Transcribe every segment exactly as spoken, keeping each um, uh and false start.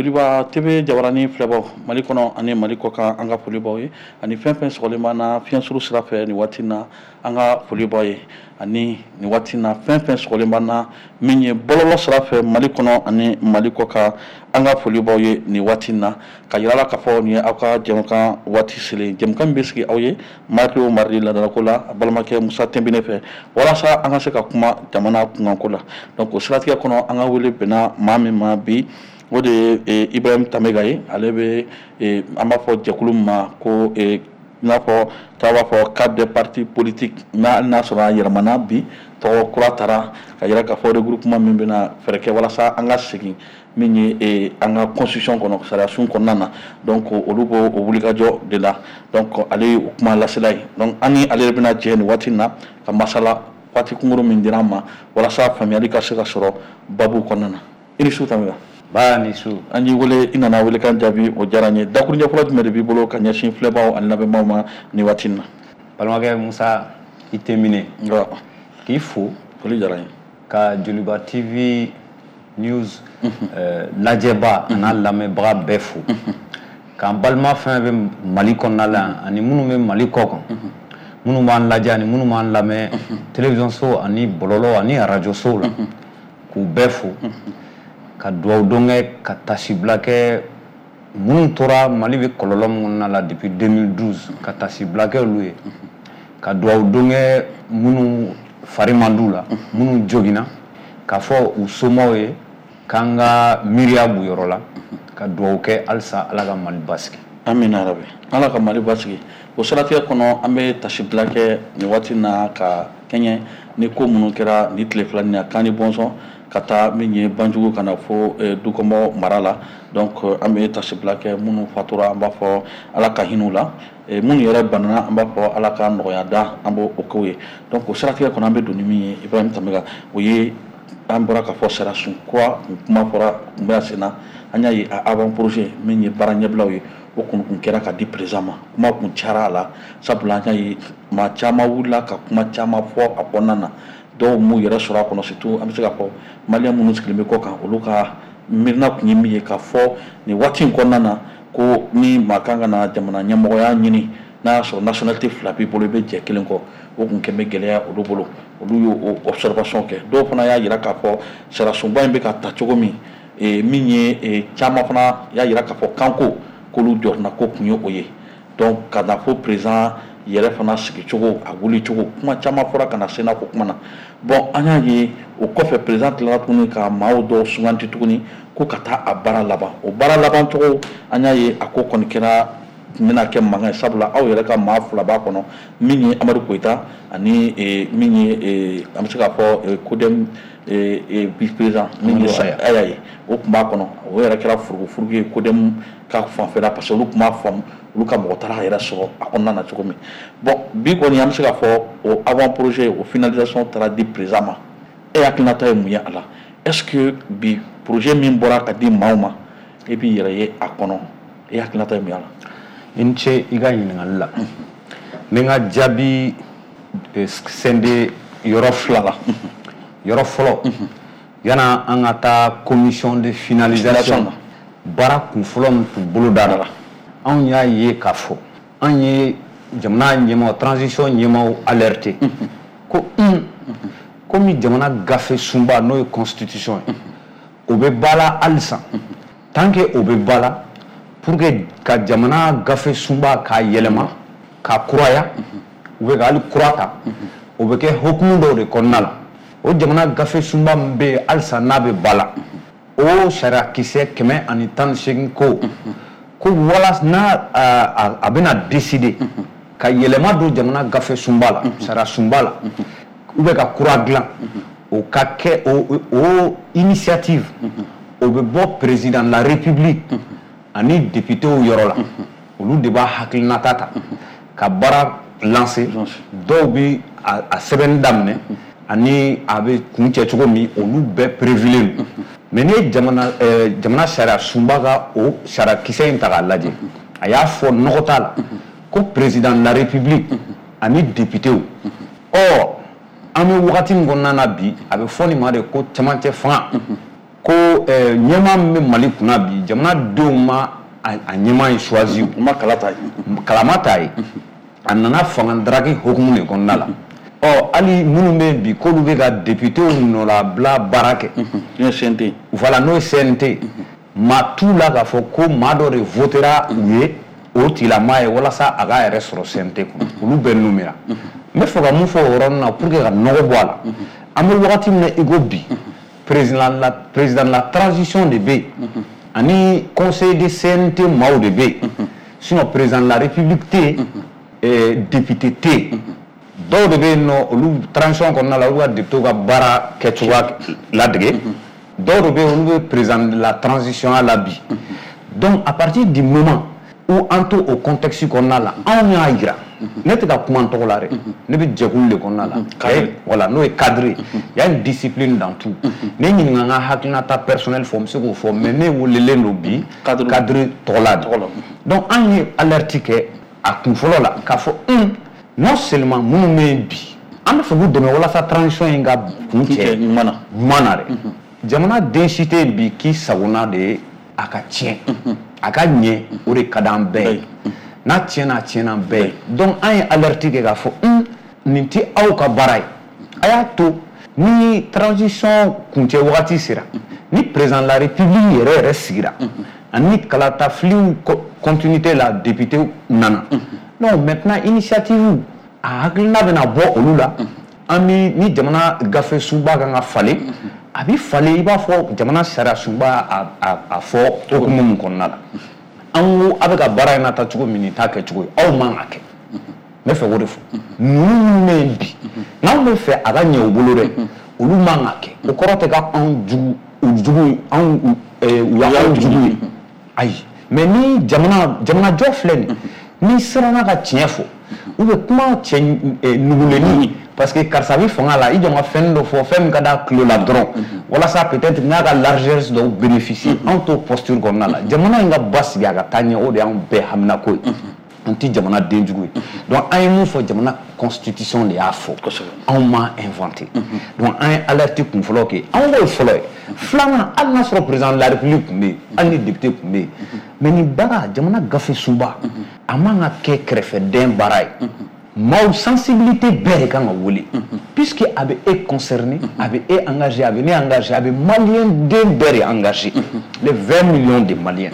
Joliba T V jabarani filɛbaw, Mali kɔnɔ ani Mali kɔ kan, an ka foli b'aw ye. Ani fɛn fɛn sɔgɔlen b'an na fiɲɛsuru sira fɛ nin waati in na, an ka foli b'aw ye. Ani nin waati in na, fɛn fɛn sɔgɔlen b'an na min ye bɔlɔlɔ sira fɛ Mali kɔnɔ ani Mali kɔ kan, an ka foli b'aw ye nin waati in na. Ka yira la k'a fɔ nin ye aw ka jɛmukan waati selen, jɛmukan min bɛ sigi aw ye mardi o mardi laadalako la, a balimakɛ Musa Tɛnbine fɛ, walasa an ka se ka kuma jamana kunkanko la. Donc o siratigɛ kɔnɔ, an ka wele bɛnna maa min ma bi, o de ye Ibrahim Tamega ye. Ale bɛ, an b'a fɔ jɛkulu min ma ko i n'a fɔ tɔw b'a fɔ cadre des partis politiques, n'a n'a sɔrɔ a yɛlɛmana bi, tɔgɔ kura taara, ka yira k'a fɔ regroupement min bɛna fɛɛrɛ kɛ walasa an ka segin min ye an ka constitution kɔnɔ, sariyasun kɔnɔna na. Donc olu b'o o wulikajɔ de la. Donc ale ye o kuma lasela ye. Donc an ni ale de bɛna jɛ nin waati in na ka masala waati kunkurun min dira an ma, walasa faamuyali ka se ka sɔrɔ babu kɔnɔna na. I ni su, Tamega. Ba ni su. An y'i wele, i nana welekan jaabi, o diyara n ye. Dakuruɲɛ fɔlɔ jumɛn de b'i bolo ka ɲɛsin filɛbaw ani lamɛnbaaw ma nin waati in na? Balimakɛ Musa, i tɛ minɛ k'i fo. Foli diyara n ye. Ka Joliba T V News lajɛba a n'a lamɛnbaga bɛɛ fo, k'an balima fɛn fɛn bɛ Mali kɔnɔna la yan ani minnu bɛ Mali kɔ kan, minnu b'an lajɛ ani minnu b'an lamɛn télévision so ani bɔlɔlɔ ani arajo sow la, k'u bɛɛ fo, ka dugawu don kɛ, ka tasibila kɛ minnu tora Mali bɛ kɔlɔlɔ min kɔnɔna la depuis deux mille douze, ka tasibila kɛ olu ye, ka dugawu don kɛ minnu fari man d'u la, minnu joginna, k'a fɔ u somaw ye k'an ka miiriya b'u yɔrɔ la, ka dugawu kɛ halisa Ala ka Mali basigi. Amina yarabi, Ala ka Mali basigi. O siratigɛ kɔnɔ, an bɛ tasibila kɛ nin waati na ka kɛɲɛ ni ko minnu kɛra ni tile fila nin na, kan ni bɔnsɔn ka taa min ye Banjugu ka na fo Dukɔnbɔ mara la. Donc an bɛ tasibila kɛ minnu fatura, an b'a fɔ Ala ka hinɛ u la. Minnu yɛrɛ banana, an b'a fɔ Ala ka nɔgɔya da, an b'o o k'o ye. Donc o siratigɛ kɔnɔ, an bɛ don ni min ye, Ibrahim Tamega, o ye an bɔra k'a fɔ sariyasun kura kuma fɔra, kun bɛ sen na. An y'a ye a avant projet min ye baara ɲɛbilaw ye, o kun kun kɛra ka di président ma. Kuma kun cayara a la, sabula an y'a ye maa caman wulila ka kuma caman fɔ a kɔnɔna na. Dɔw m'u yɛrɛ sɔrɔ a kɔnɔ, surtout an bɛ se k'a fɔ maliyɛn minnu sigilen bɛ kɔ kan, olu ka miirina kun ye min ye k'a fɔ nin waati in kɔnɔna na, ko ni maa kan ka na jamana ɲɛmɔgɔya ɲini, n'a y'a sɔrɔ nationalité fila b'i bolo, i bɛ jɛ kelen kɔ. O kun kɛ bɛ gɛlɛya olu bolo, olu y'o observation kɛ. Dɔw fana y'a jira k'a fɔ sariyasunba in bɛ ka ta cogo min, min ye caman fana y'a jira k'a fɔ kanko k'olu jɔrɔna ko kun ye o ye. Donc ka na fo président yɛrɛ fana sigicogo, a wulicogo, kuma caman fɔra ka na Sénat ko kuma na. Bon, an y'a ye o kɔfɛ, président tilara tuguni ka maaw dɔw suganti tuguni ko ka taa a baara laban. O baara laban cogo, an y'a ye a ko kɔni kɛra bɛna kɛ mankan ye, sabula aw yɛrɛ ka maa fila b'a kɔnɔ, min ye Amadu Koyita ani min ye, an bɛ se k'a fɔ, CODEM vice président min ye Aya ye, o tun b'a kɔnɔ. O yɛrɛ kɛra furugufurugu ye CODEM ka fanfɛla, parce que olu tun b'a faamu olu ka mɔgɔ taara a yɛrɛ sɔrɔ a kɔnɔna na cogo min. Bon, bi kɔni, an bɛ se k'a fɔ o avant projet, o finalisation taara di président ma. E hakilinata ye mun ye a la? Est ce que bi projet min bɔra ka di maaw ma, e b'i yɛrɛ ye a kɔnɔ? E hakilinata ye mun ye a la? I ni ce i ka ɲininkali la. N bɛ n ka jaabi sɛnde yɔrɔ fila la. Yɔrɔ fɔlɔ, yanni an ka taa commission de finalisation na, baara kun fɔlɔ min tun bolo dara, anw y'a ye k'a fɔ an ye jamana ɲɛmaaw, transition ɲɛmaaw alerté ko un komi jamana gafe sunba, n'o ye constitution ye, o bɛ ba la halisa. Tant que o bɛ ba la, pour que ka jamana gafe sunba k'a yɛlɛma, k'a kuraya ou bien ka hali kura ta, o bɛ kɛ hokumu dɔw de kɔnɔna la. O jamana gafe sunba min bɛ yen halisa n'a bɛ ba la, o sariya kisɛ kɛmɛ ani tan ni seegin ko ko wala n'a a, a bɛna décider ka yɛlɛma don jamana gafe sunba la, sariya sunba la, ou bien ka kura dilan, o ka kɛ o o initiative, o bɛ bɔ président de la République ani députéw yɔrɔ la. Olu de b'a hakilinata ta ka baara lancer. Dɔw bɛ a, a sɛbɛnni daminɛ ani a bɛ kuncɛ cogo min, olu bɛɛ prévulen don. Mais n'i ye jamana ɛɛ jamana sariya sunba ka o sariya kisɛ in ta k'a lajɛ, a y'a fɔ nɔgɔ t'a la ko président de la République ani députéw. Ɔ, an bɛ wagati min kɔnɔna na bi, a bɛ fɔ nin ma de ko cɛmancɛ fanga. Ko ɲɛmaa min bɛ Mali kunna bi, jamanadenw ma a ɲɛmaa in choisi, u ma kala ta ye, kalama t'a ye, a nana fanga daraki hokumu de kɔnɔna la. Ɔ hali minnu bɛ yen bi k'olu bɛ ka députéw nɔlabila baara kɛ, n'o ye C N T, voilà, n'o ye C N T, maa t'u la k'a fɔ ko maa dɔ de votera u ye o tigilamaa ye walasa a k'a yɛrɛ sɔrɔ C N T kɔnɔ, olu bɛɛ nommera. N bɛ fɛ ka mun fɔ o yɔrɔnin na pour que ka nɔgɔ bɔ a la, an bɛ wagati min na i ko bi, président la président de la transition de bɛ yen, ani conseil de C N T maaw de bɛ yen, sinon président de la république tɛ yen, député tɛ yen. Dɔw de bɛ yen nɔ, olu transition kɔnɔna la, olu ka député ka baara kɛcogoya ladege, dɔw de bɛ yen, olu bɛ président de la transition la bi. Donc à partir du moment où an to o contexte kɔnɔna la, anw y'a jira, ne tɛ ka kuma n tɔgɔ la dɛ, ne bɛ jɛkulu de kɔnɔna la, voilà, n'o ye cadre ye, il y a une discipline dans tout. Ne ɲininka n ka hakilinata personnel fɔ, n bɛ se k'o fɔ, mais ne welelen don bi cadre tɔgɔ la de. Donc an ye alerte kɛ a kun fɔlɔ la k'a fɔ un, non seulement minnu bɛ yen bi, an bɛ fɛ k'u dɛmɛ walasa transition in ka kun cɛ ɲuman na, ɲuman na dɛ. Jamana den si tɛ yen bi k'i sagona de ye a ka tiɲɛ, a ka ɲɛ, o de ka d'an bɛɛ ye. N'a tiɲɛna, a tiɲɛna bɛɛ ye. Donc an ye alerte kɛ k'a fɔ un, nin tɛ aw ka baara ye, a y'a to ni transition kuncɛ wagati sera, ni président de la république yɛrɛ yɛrɛ sigira, ani kalatafiliw continuité la, député nana. Non, maintenant initiative a hakilina bɛna bɔ olu la, an ni ni jamana gafe sunba kan ka falen, a bɛ falen i b'a fɔ jamana sariya sunba a a fɔ hokumu min kɔnɔna la. An ko a bɛ ka baara in nata cogo min, nin t'a kɛcogo ye, aw man ka kɛ. N bɛ fɛ k'o de fɔ. Ninnu minnu bɛ yen bi, n'anw bɛ fɛ a ka ɲɛ u bolo dɛ, olu man ka kɛ. O kɔrɔ tɛ k'anw jugu, u jugu, anw u y'anw jugu ye, ayi. Mais ni jamana jamanajɔ filɛ nin ye, n'i siranna ka tiɲɛ fɔ, ou bien kuma cɛ nugulenni, parce que karisa bɛ fanga la, i jɔ ka fɛn dɔ fɔ, fɛn min ka d'a tulo la dɔrɔn, walasa peut-être n'a ka largesse dɔw bénéficier, anw t'o posture kɔnɔna la. Jamana in ka basigi a ka taa ɲɛ, o de y'anw bɛɛ haminako ye. An tɛ jamana den jugu ye. Donc an ye mun fɔ, jamana constitution de y'a fɔ, anw m'a inventé. Donc an ye alerte kun fɔlɔ kɛ, anw k'o fɔlɔ ye. Filanan, hali n'a sɔrɔ président de la république tun bɛ yen, hali ni député tun bɛ yen, mais nin baara, jamana gafe sunba, a man ka kɛ kɛrɛfɛdɛn baara ye. Maaw sensibilité bɛɛ de kan ka wele, puisque a bɛ e concerné, a bɛ e engagé, a bɛ ne engagé, a bɛ malien den bɛɛ de engagé, les vingt millions de maliens.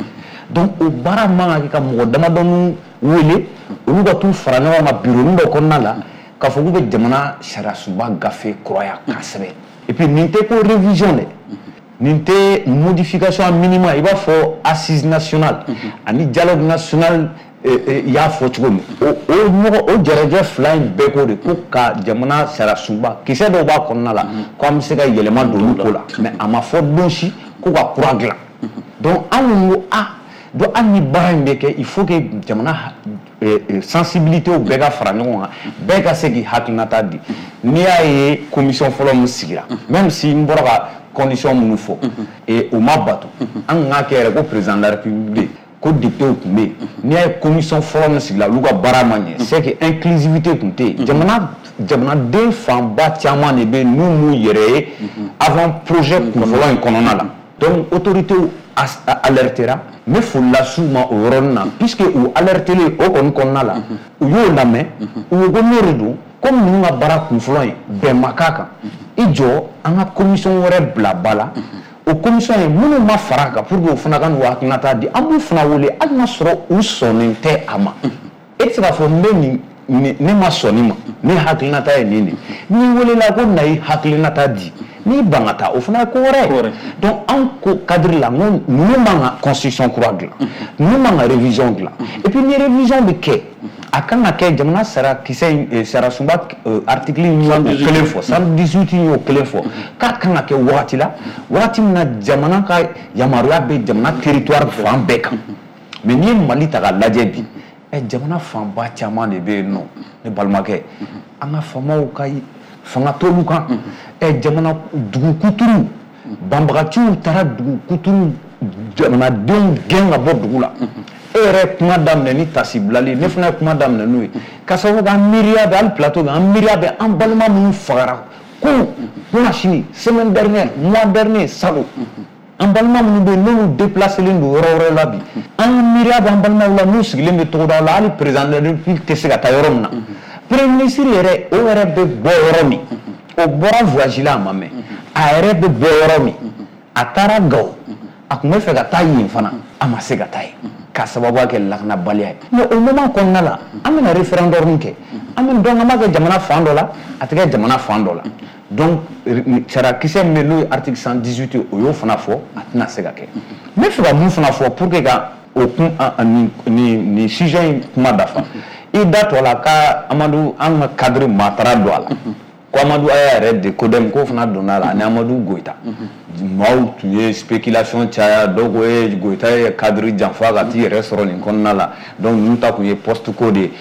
Donc o baara man ka kɛ ka mɔgɔ damadɔni wele, olu ka t'u fara ɲɔgɔn kan bureau dɔ kɔnɔna la k'a fɔ k'u bɛ jamana sariya sunba gafe kuraya k'a sɛbɛn. Et puis nin tɛ ko révision dɛ, nin tɛ modification minima, i b'a fɔ assise nationale ani dialogue national i y'a fɔ cogo min, o o ɲɔgɔn o jɛrɛjɛ fila in bɛɛ ko de ko ka jamana sariya sunba kisɛ dɔw b'a kɔnɔna la ko an bɛ se ka yɛlɛma don olu ko la, mais a ma fɔ don si ko ka kura dilan. Donc anw ko a donc hali ni baara in bɛ kɛ, il faut que jamana sensibilité bɛɛ ka fara ɲɔgɔn kan, bɛɛ ka se k'i hakilinata di. N'i y'a ye commission fɔlɔ min sigira, même si n bɔra ka condition minnu fɔ, et o ma bato, an kun k'a kɛ yɛrɛ ko président de la république, ko député tun bɛ yen, n'i y'a ye commission fɔlɔ min sigila, olu ka baara ma ɲɛ, c'est que inclusivité tun tɛ yen. Jamana jamanaden fanba caman de bɛ yen n'u m'u yɛrɛ ye avant projet kunfɔlɔ in kɔnɔna la. Donc autorités alertera, n bɛ foli las'u ma o yɔrɔnin na, puisque u alertelen o kɔni kɔnɔna la, u y'o lamɛn, u ko ko n'o de don, komi ninnu ka baara kunfɔlɔ in bɛn ma k'a kan, i jɔ an ka commission wɛrɛ bila ba la. O commission ye minnu ma fara a kan pour que o fana ka n'u hakilinata di, an b'u fana wele hali n'a sɔrɔ u sɔnnen tɛ a ma. E tɛ se k'a fɔ n bɛ nin ne ma sɔn nin ma, ne hakilinata ye nin de ye. N'i welela ko na i hakilinata di, n'i ban ka taa, o fana ye ko wɛrɛ ye. Donc anw ko cadre la, n ko ninnu man ka constitution kura dilan, ninnu man ka révision dilan. Et puis ni révision bɛ kɛ, a kan ka kɛ jamana sariya kisɛ in, sariya sunba article in y'o kelen fɔ, cent dix-huit in y'o kelen fɔ, k'a kan ka kɛ wagati la, wagati min na jamana ka yamaruya bɛ jamana territoire fan bɛɛ kan. Mais n'i ye Mali ta k'a lajɛ bi, ɛ jamana fanba caman de bɛ yen nɔ, ne balimakɛ, an ka faamaw ka fanga t'olu kan. Ɛ jamana dugu kuturu banbagaciw taara dugu kuturu jamanadenw gɛn ka bɔ dugu la. E yɛrɛ kuma daminɛ ni tasi bilali, ne fana ye kuma daminɛ n'o ye, ka sababu kɛ an miiriya bɛ hali plateau kan, an miiriya bɛ an balima minnu fagara kunun, kunasini, semaine dernière, mois dernier, salon. An balima minnu bɛ yen n'olu déplacélen don yɔrɔ wɛrɛ la bi, an miiriya b'an balimaw la n'u sigilen bɛ togodaw la, hali président de la République tɛ se ka taa yɔrɔ min na. Premier ministre yɛrɛ, o yɛrɛ bɛ bɔ yɔrɔ min, o bɔra voyage la a ma mɛn, a yɛrɛ bɛ bɔ yɔrɔ min, a taara Gawo, a tun bɛ fɛ ka taa yen fana, a ma se ka taa yen k'a sababuya kɛ lakanabaliya ye. Mais o moment kɔnɔna la, an bɛna référendum kɛ, an bɛ donc an b'a kɛ jamana fan dɔ la, a tɛ kɛ jamana fan dɔ la. Donc sariyakisɛ min bɛ yen n'o ye article cent dix-huit ye, o y'o fana fɔ, a tɛna se ka kɛ. N bɛ fɛ ka mun fana fɔ pour que ka o kun nin nin nin sujet in kuma dafa, i da to a la ka Amadu, an ka cadre maa taara don a la, ko Amadu Aya yɛrɛ de CODEM k'o fana donna a la, ani Amadu Goyita. Maaw tun ye spéculation caya, dɔw ko e Goyita ye cadre janfa ka t'i yɛrɛ sɔrɔ nin kɔnɔna la, donc ninnu ta tun ye poste ko de ye.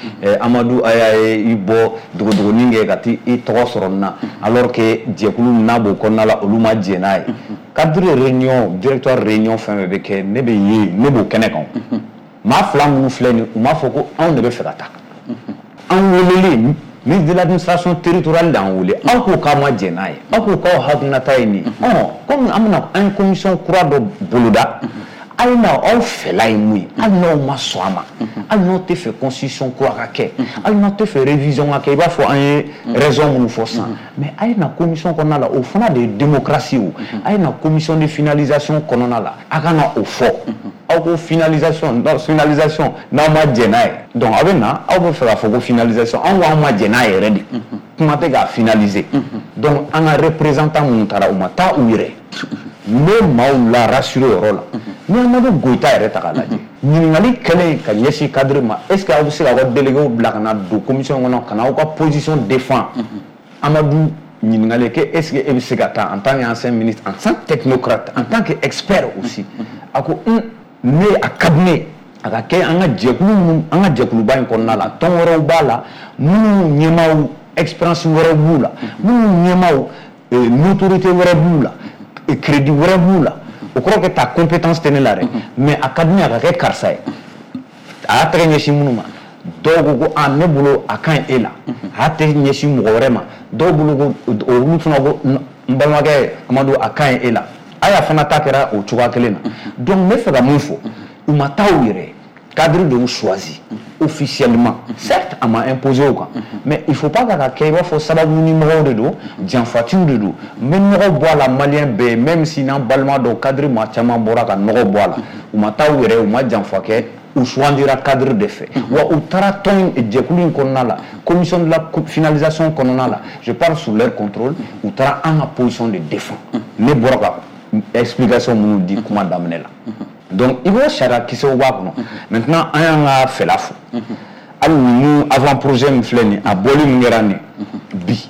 Amadu Aya ye i bɔ dogodogonin kɛ ka t'i tɔgɔ sɔrɔ nin na, alors que jɛkulu min n'a b'o kɔnɔna la, olu ma jɛn n'a ye. Cadre réunion, directoire réunion, fɛn fɛn bɛ kɛ, ne bɛ yen, ne b'o kɛnɛ kan. Maa fila minnu filɛ nin, u m'a fɔ ko anw de bɛ fɛ ka taa. An welelen, ministre de l'administration territoriale d'an wele, aw ko k'aw ma jɛn n'a ye, aw ko k'aw hakilinata ye nin ye. Ɔ komi an bɛna an ye commission kura dɔ boloda, a ye na aw fɛla ye mun ye, hali n'aw ma sɔn a ma, hali n'aw tɛ fɛ constitution kura ka kɛ, hali n'aw tɛ fɛ révision ka kɛ, i b'a fɔ an ye raison minnu fɔ sisan, mais a ye na commission kɔnɔna la, o fana de ye démocratie o. A ye na commission de finalisation kɔnɔna la, a ka na o fɔ. Aw ko finalisation, finalisation n'aw ma jɛn n'a ye, donc aw bɛ na aw bɛ fɛ k'a fɔ ko finalisation, anw ko anw ma jɛn n'a yɛrɛ de, kuma tɛ k'a finaliser. Donc an ka représentant minnu taara, u ma taa u yɛrɛ. N bɛ maaw la rassurer o yɔrɔ la. Ni Amadu Goyita yɛrɛ ta k'a lajɛ, ɲininkali kɛlen ka ɲɛsin cadre ma, est ce que aw bɛ se k'aw ka délégués bila ka na don commission kɔnɔ ka na aw ka position défend, Amadu ɲininkali kɛ, est ce que e bɛ se ka taa en tant qu'ancien ministre, en tant que technocrate, en tant que expert aussi, a ko ne a ka di ne a ka kɛ an ka jɛkulu minnu, an ka jɛkuluba in kɔnɔna la, tɔn wɛrɛw b'a la minnu ɲɛmaaw expérience wɛrɛw b'u la, minnu ɲɛmaaw notoriété wɛrɛ b'u la, crédit wɛrɛ b'u la, o kɔrɔ kɛ ta compétence tɛ ne la dɛ, mais a ka di ne a ka kɛ karisa ye. A y'a tɛgɛ ɲɛsin minnu ma, dɔw ko ko a ne bolo a ka ɲi e la, a y'a tɛgɛ ɲɛsin mɔgɔ wɛrɛ ma, dɔw bolo ko olu fana ko n balimakɛ Amadu a ka ɲi e la. Aya fana ta kɛra o cogoya kelen na. Donc n bɛ fɛ ka mun fɔ, u ma taa u yɛrɛ, cadre de y'u choisi officiellement, certes a ma imposé o kan, mais il faut pas k'a ka kɛ i b'a fɔ sababu ni mɔgɔw de don, janfatiw de don. N bɛ nɔgɔ bɔ a la malien bɛɛ ye, même si n'an balima dɔw cadre maa caman bɔra ka nɔgɔ bɔ a la, u ma taa u yɛrɛ, u ma janfa kɛ, u sugandira cadre de fɛ. Wa u taara tɔn jɛkulu in kɔnɔna la, commission de la finalisation kɔnɔna la, je parle sous leur contrôle, u taara an ka position de défend, ne bɔra ka explication minnu di kuma daminɛ la. Donc i b'o sariya kisɛw b'a kɔnɔ. Maintenant an y'an ka fɛla fɔ, hali ninnu avant projet min filɛ nin, a bɔli min kɛra nin bi,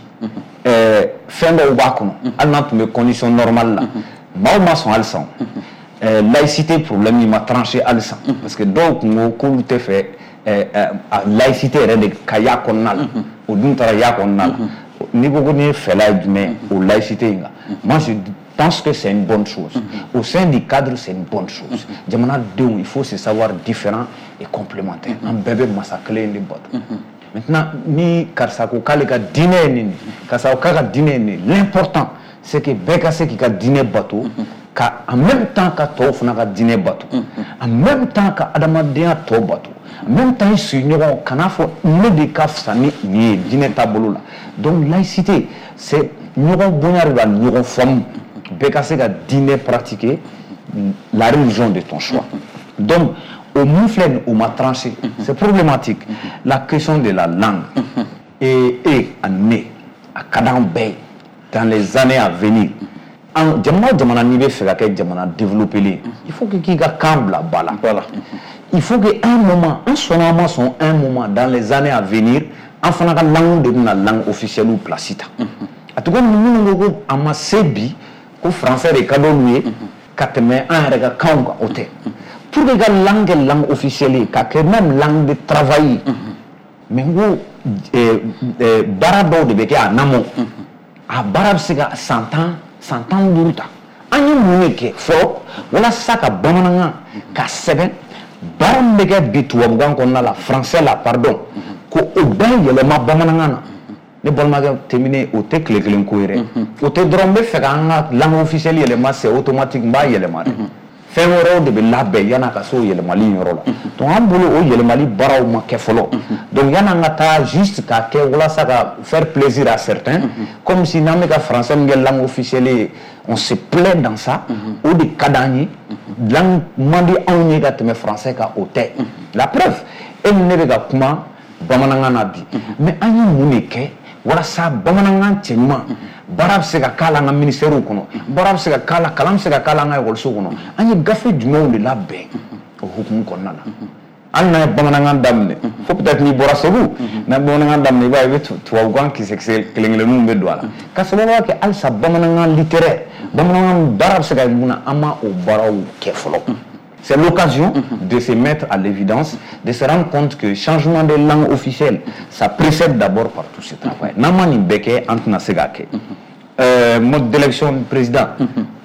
ɛɛ fɛn dɔw b'a kɔnɔ, hali n'a tun bɛ condition normale la, maaw ma sɔn halisa. ɛɛ laïcité problème in ma tranché halisa, parce que dɔw tun ko k'olu tɛ fɛ ɛɛ laïcité yɛrɛ de ka y'a kɔnɔna la, o dun taara y'a kɔnɔna la. N'i ko ko nin ye fɛla ye jumɛn o laïcité in kan, moi je pense que c'est une bonne chose. Au sein du cadre, c'est une bonne chose. Jamana denw, il faut se savoir différent et complémentaire. An bɛɛ bɛ masa kelen de bato. Maintenant ni karisa ko k'ale ka diinɛ ye nin, karisa ko k'a ka diinɛ ye nin, l'important c'est que bɛɛ ka se k'i ka diinɛ bato, ka en même temps ka tɔw fana ka diinɛ bato, en même temps ka adamadenya tɔ bato, en même temps i sigiɲɔgɔn kan'a fɔ ne de ka fisa ni nin ye diinɛ taabolo la. Donc laïcité, c'est ɲɔgɔn bonya de don, ani ɲɔgɔn faamu, bɛɛ ka se ka diinɛ pratiquer la religion de ton choix. Donc o mun filɛ nin, o ma tranché, c'est problématique. La question de la langue et e ani ne, a ka d'an bɛɛ ye dans les années à venir, an jamana o jamana n'i bɛ fɛ ka kɛ jamana développé ye, il faut que k'i ka kan bila ba la. Voilà. Il faut que un moment, an sɔnna an ma sɔn, un moment dans les années à venir, an fana ka langue de bɛna langue officielle place ta. A tɛ komi minnu ko ko a ma se bi, ko français de ka d'olu ye ka tɛmɛ an yɛrɛ ka kanw kan, o tɛ. Pour que ka langue kɛ langue officielle ye, ka kɛ même langue de travail, mais n ko baara dɔw de bɛ kɛ en amont, a baara bɛ se ka san tan, san tan ni duuru ta. An ye mun de kɛ fɔlɔ walasa ka bamanankan ka sɛbɛn, baara min bɛ kɛ bi tubabukan kɔnɔna la, français la, pardon, ko o bɛɛ yɛlɛma bamanankan na? Ne balimakɛ Timbiné, o tɛ tile kelen ko ye dɛ. O tɛ dɔrɔn n bɛ fɛ k'an ka langue officielle yɛlɛma, c'est automatique, n b'a yɛlɛma dɛ. Fɛn wɛrɛw de bɛ labɛn yan'a ka se o yɛlɛmali in yɔrɔ la. Donc an bolo, o yɛlɛmali baaraw ma kɛ fɔlɔ. Donc yan'an ka taa juste k'a kɛ walasa ka faire plaisir à certains, comme si n'an bɛ ka français min kɛ langue officielle ye, on se plaît dans ça, o de ka d'an ye, langue man di anw ye ka tɛmɛ français kan, o tɛ. La preuve, e ni ne bɛ ka kuma bamanankan na bi, mais an ye mun de kɛ walasa bamanankan cɛɲuman baara bɛ se ka k'a la an ka ministères kɔnɔ, baara bɛ se ka k'a la, kalan bɛ se ka k'a la an ka ekɔliso kɔnɔ? An ye gafe jumɛnw de labɛn o hukumu kɔnɔna na? Hali n'an ye bamanankan daminɛ, fo peut-être n'i bɔra Segu, n'an ye bamanankan daminɛ, i b'a ye i bɛ tubabukan kisɛ kisɛ kelen kelenninw bɛ don a la, ka sababuya kɛ halisa bamanankan littéraire, bamanankan baara bɛ se ka kɛ mun na, an ma o baaraw kɛ fɔlɔ. C'est l'occasion de se mettre à l'évidence, de se rendre compte que changement de langue officielle, ça précède d'abord par tout ce travail. N'an ma nin bɛɛ kɛ, an tɛna se k'a kɛ. Euh, mode d'élection du président,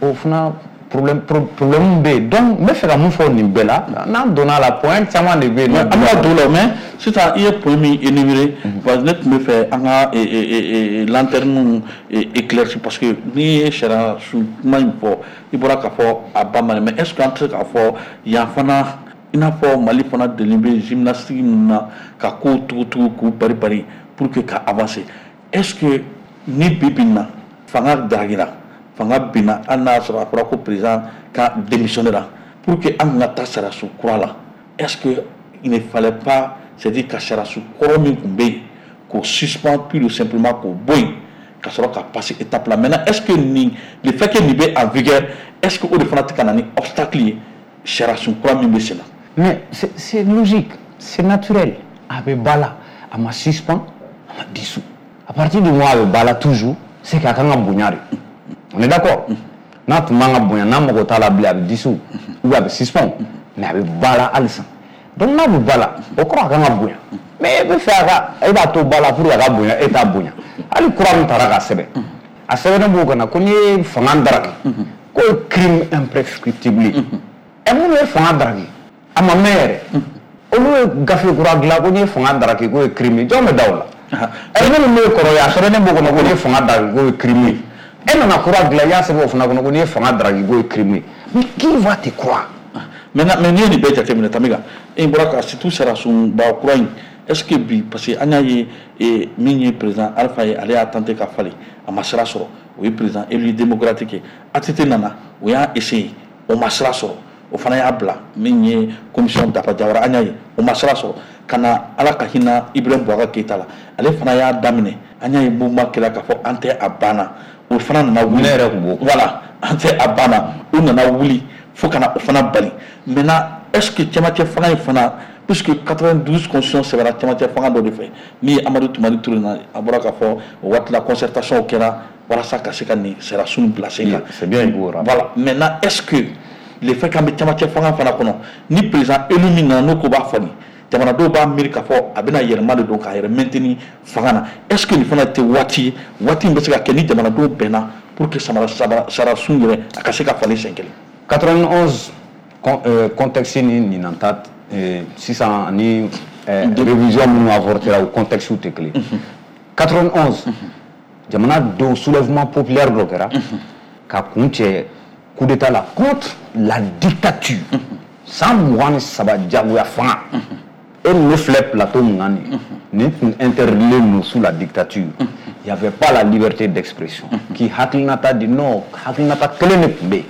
o fana problème problème bɛ yen. Donc n bɛ fɛ ka mun fɔ nin bɛɛ la, n'an donna a la, point caman de bɛ yen. An bɛna don o la, mais sisan i ye point min énuméré, parce que ne tun bɛ fɛ an ka lanterne éclairci, parce que n'i ye sariya sun kuma in fɔ, i bɔra k'a fɔ a ba ma, mais est ce que an tɛ se k'a fɔ yan fana, i n'a fɔ Mali fana deli bɛ gymnastique min na, ka kow tugutugu k'u bari bari pour que ka avancer, est ce que ni bi bi in na fanga daragira, fanga binna, hali n'a y'a sɔrɔ a fɔra ko président ka démissionner la, pour que an ka taa sariyasun kura la, est ce que il ne fallait pas, c'est à dire ka sariyasun kɔrɔ min tun bɛ yen k'o suspendre pure et simplement, k'o bɔ yen, ka sɔrɔ ka passer étape la? Maintenant, est ce que nin, le fait que nin bɛ en vigueur, est ce que o de fana tɛ ka na ni obstacle ye sariyasun kura min bɛ sen na? Mais c'est c'est logique, c'est naturel. A bɛ ba la, a ma suspend, a ma dissous. À partir du moment où a bɛ ba la toujours, c'est k'a kan ka bonya de. On est d'accord? N'a tun man ka bonya, n'a mago t'a la bilen, a bɛ dissous ou bien a bɛ suspend, mais a bɛ ba la halisa. Donc n'a bɛ ba la, o kɔrɔ a kan ka bonya. Mais e bɛ fɛ a ka, e b'a to ba la pour que a ka bonya, e t'a bonya. Hali kura min taara ka sɛbɛn, a sɛbɛnnen b'o kana ko n'i ye fanga daraki, k'o ye crime imprescriptible ye. Ɛ, minnu ye fanga daraki, a ma mɛn yɛrɛ, olu ye gafe kura dilan ko n'i ye fanga daraki k'o ye crime ye, jɔn bɛ da o la? Ɛ, minnu bɛ kɔrɔ ye, a sɛbɛnnen b'o kɔnɔ ko n'i ye fanga daraki k'o ye crime ye. E nana kura dilan, i y'a sɛbɛn o fana kɔnɔ ko n'i ye fanga daraki k'o ye crime ye. Mais qui va te croire? Maintenant, mais n'i ye nin bɛɛ jateminɛ, Tamiga, e bɔra ka surtout sariyasunba kura in, est ce que bi, parce que an y'a ye min ye président Alpha ye, ale y'a tenté ka falen, a ma sira sɔrɔ, o ye président élu démocratique ye. A T T nana, o y'a essayé, o ma sira sɔrɔ, o fana y'a bila. Min ye commission Dafa Jawara, an y'a ye o ma sira sɔrɔ. Ka na Ala ka hinɛ Ibrahim Boubacar Keïta la, ale fana y'a daminɛ, an y'a ye mouvement kɛra k'a fɔ an tɛ a banna, o fana nana wuli. Ne yɛrɛ tun b'o. Voilà, an tɛ a banna, o nana wuli fo ka na o fana bali. Maintenant, est ce que cɛmancɛ fanga in fana, puisque quatre-vingt-douze constitution sɛbɛnna cɛmancɛ fanga dɔ de fɛ, min ye Amadu Tumani Ture na, a bɔra k'a fɔ o waati la concertation kɛra walasa ka se ka nin sariyasun bila sen kan. C'est bien, il faut rappeler. Voilà, maintenant, est ce que le fait qu'an bɛ cɛmancɛ fanga fana kɔnɔ, ni président élu min nana, n'o ko b'a falen, jamanadenw b'a miiri k'a fɔ a bɛna yɛlɛma de don k'a yɛrɛ maintenir fanga na, est ce que nin fana tɛ waati ye, waati min bɛ se ka kɛ ni jamanadenw bɛnna pour que samara sariyasun yɛrɛ a ka se ka falen siɲɛ kelen? quatre-vingt-onze euh, contexte ni ɲinan ta euh, sisan ani euh, révision minnu avortera, o contexte tɛ kelen. quatre-vingt-onze, jamana dɔw soulèvement populaire dɔ kɛra ka kun cɛ coup d'état la contre la dictature, san mugan ni saba jagoya fanga. E ni ne filɛ plateau mun kan nin, nin tun interdilen don sous la dictature. Il y avait pas la liberté d'expression k'i hakilinata di. Non, hakilinata kelen de tun bɛ yen,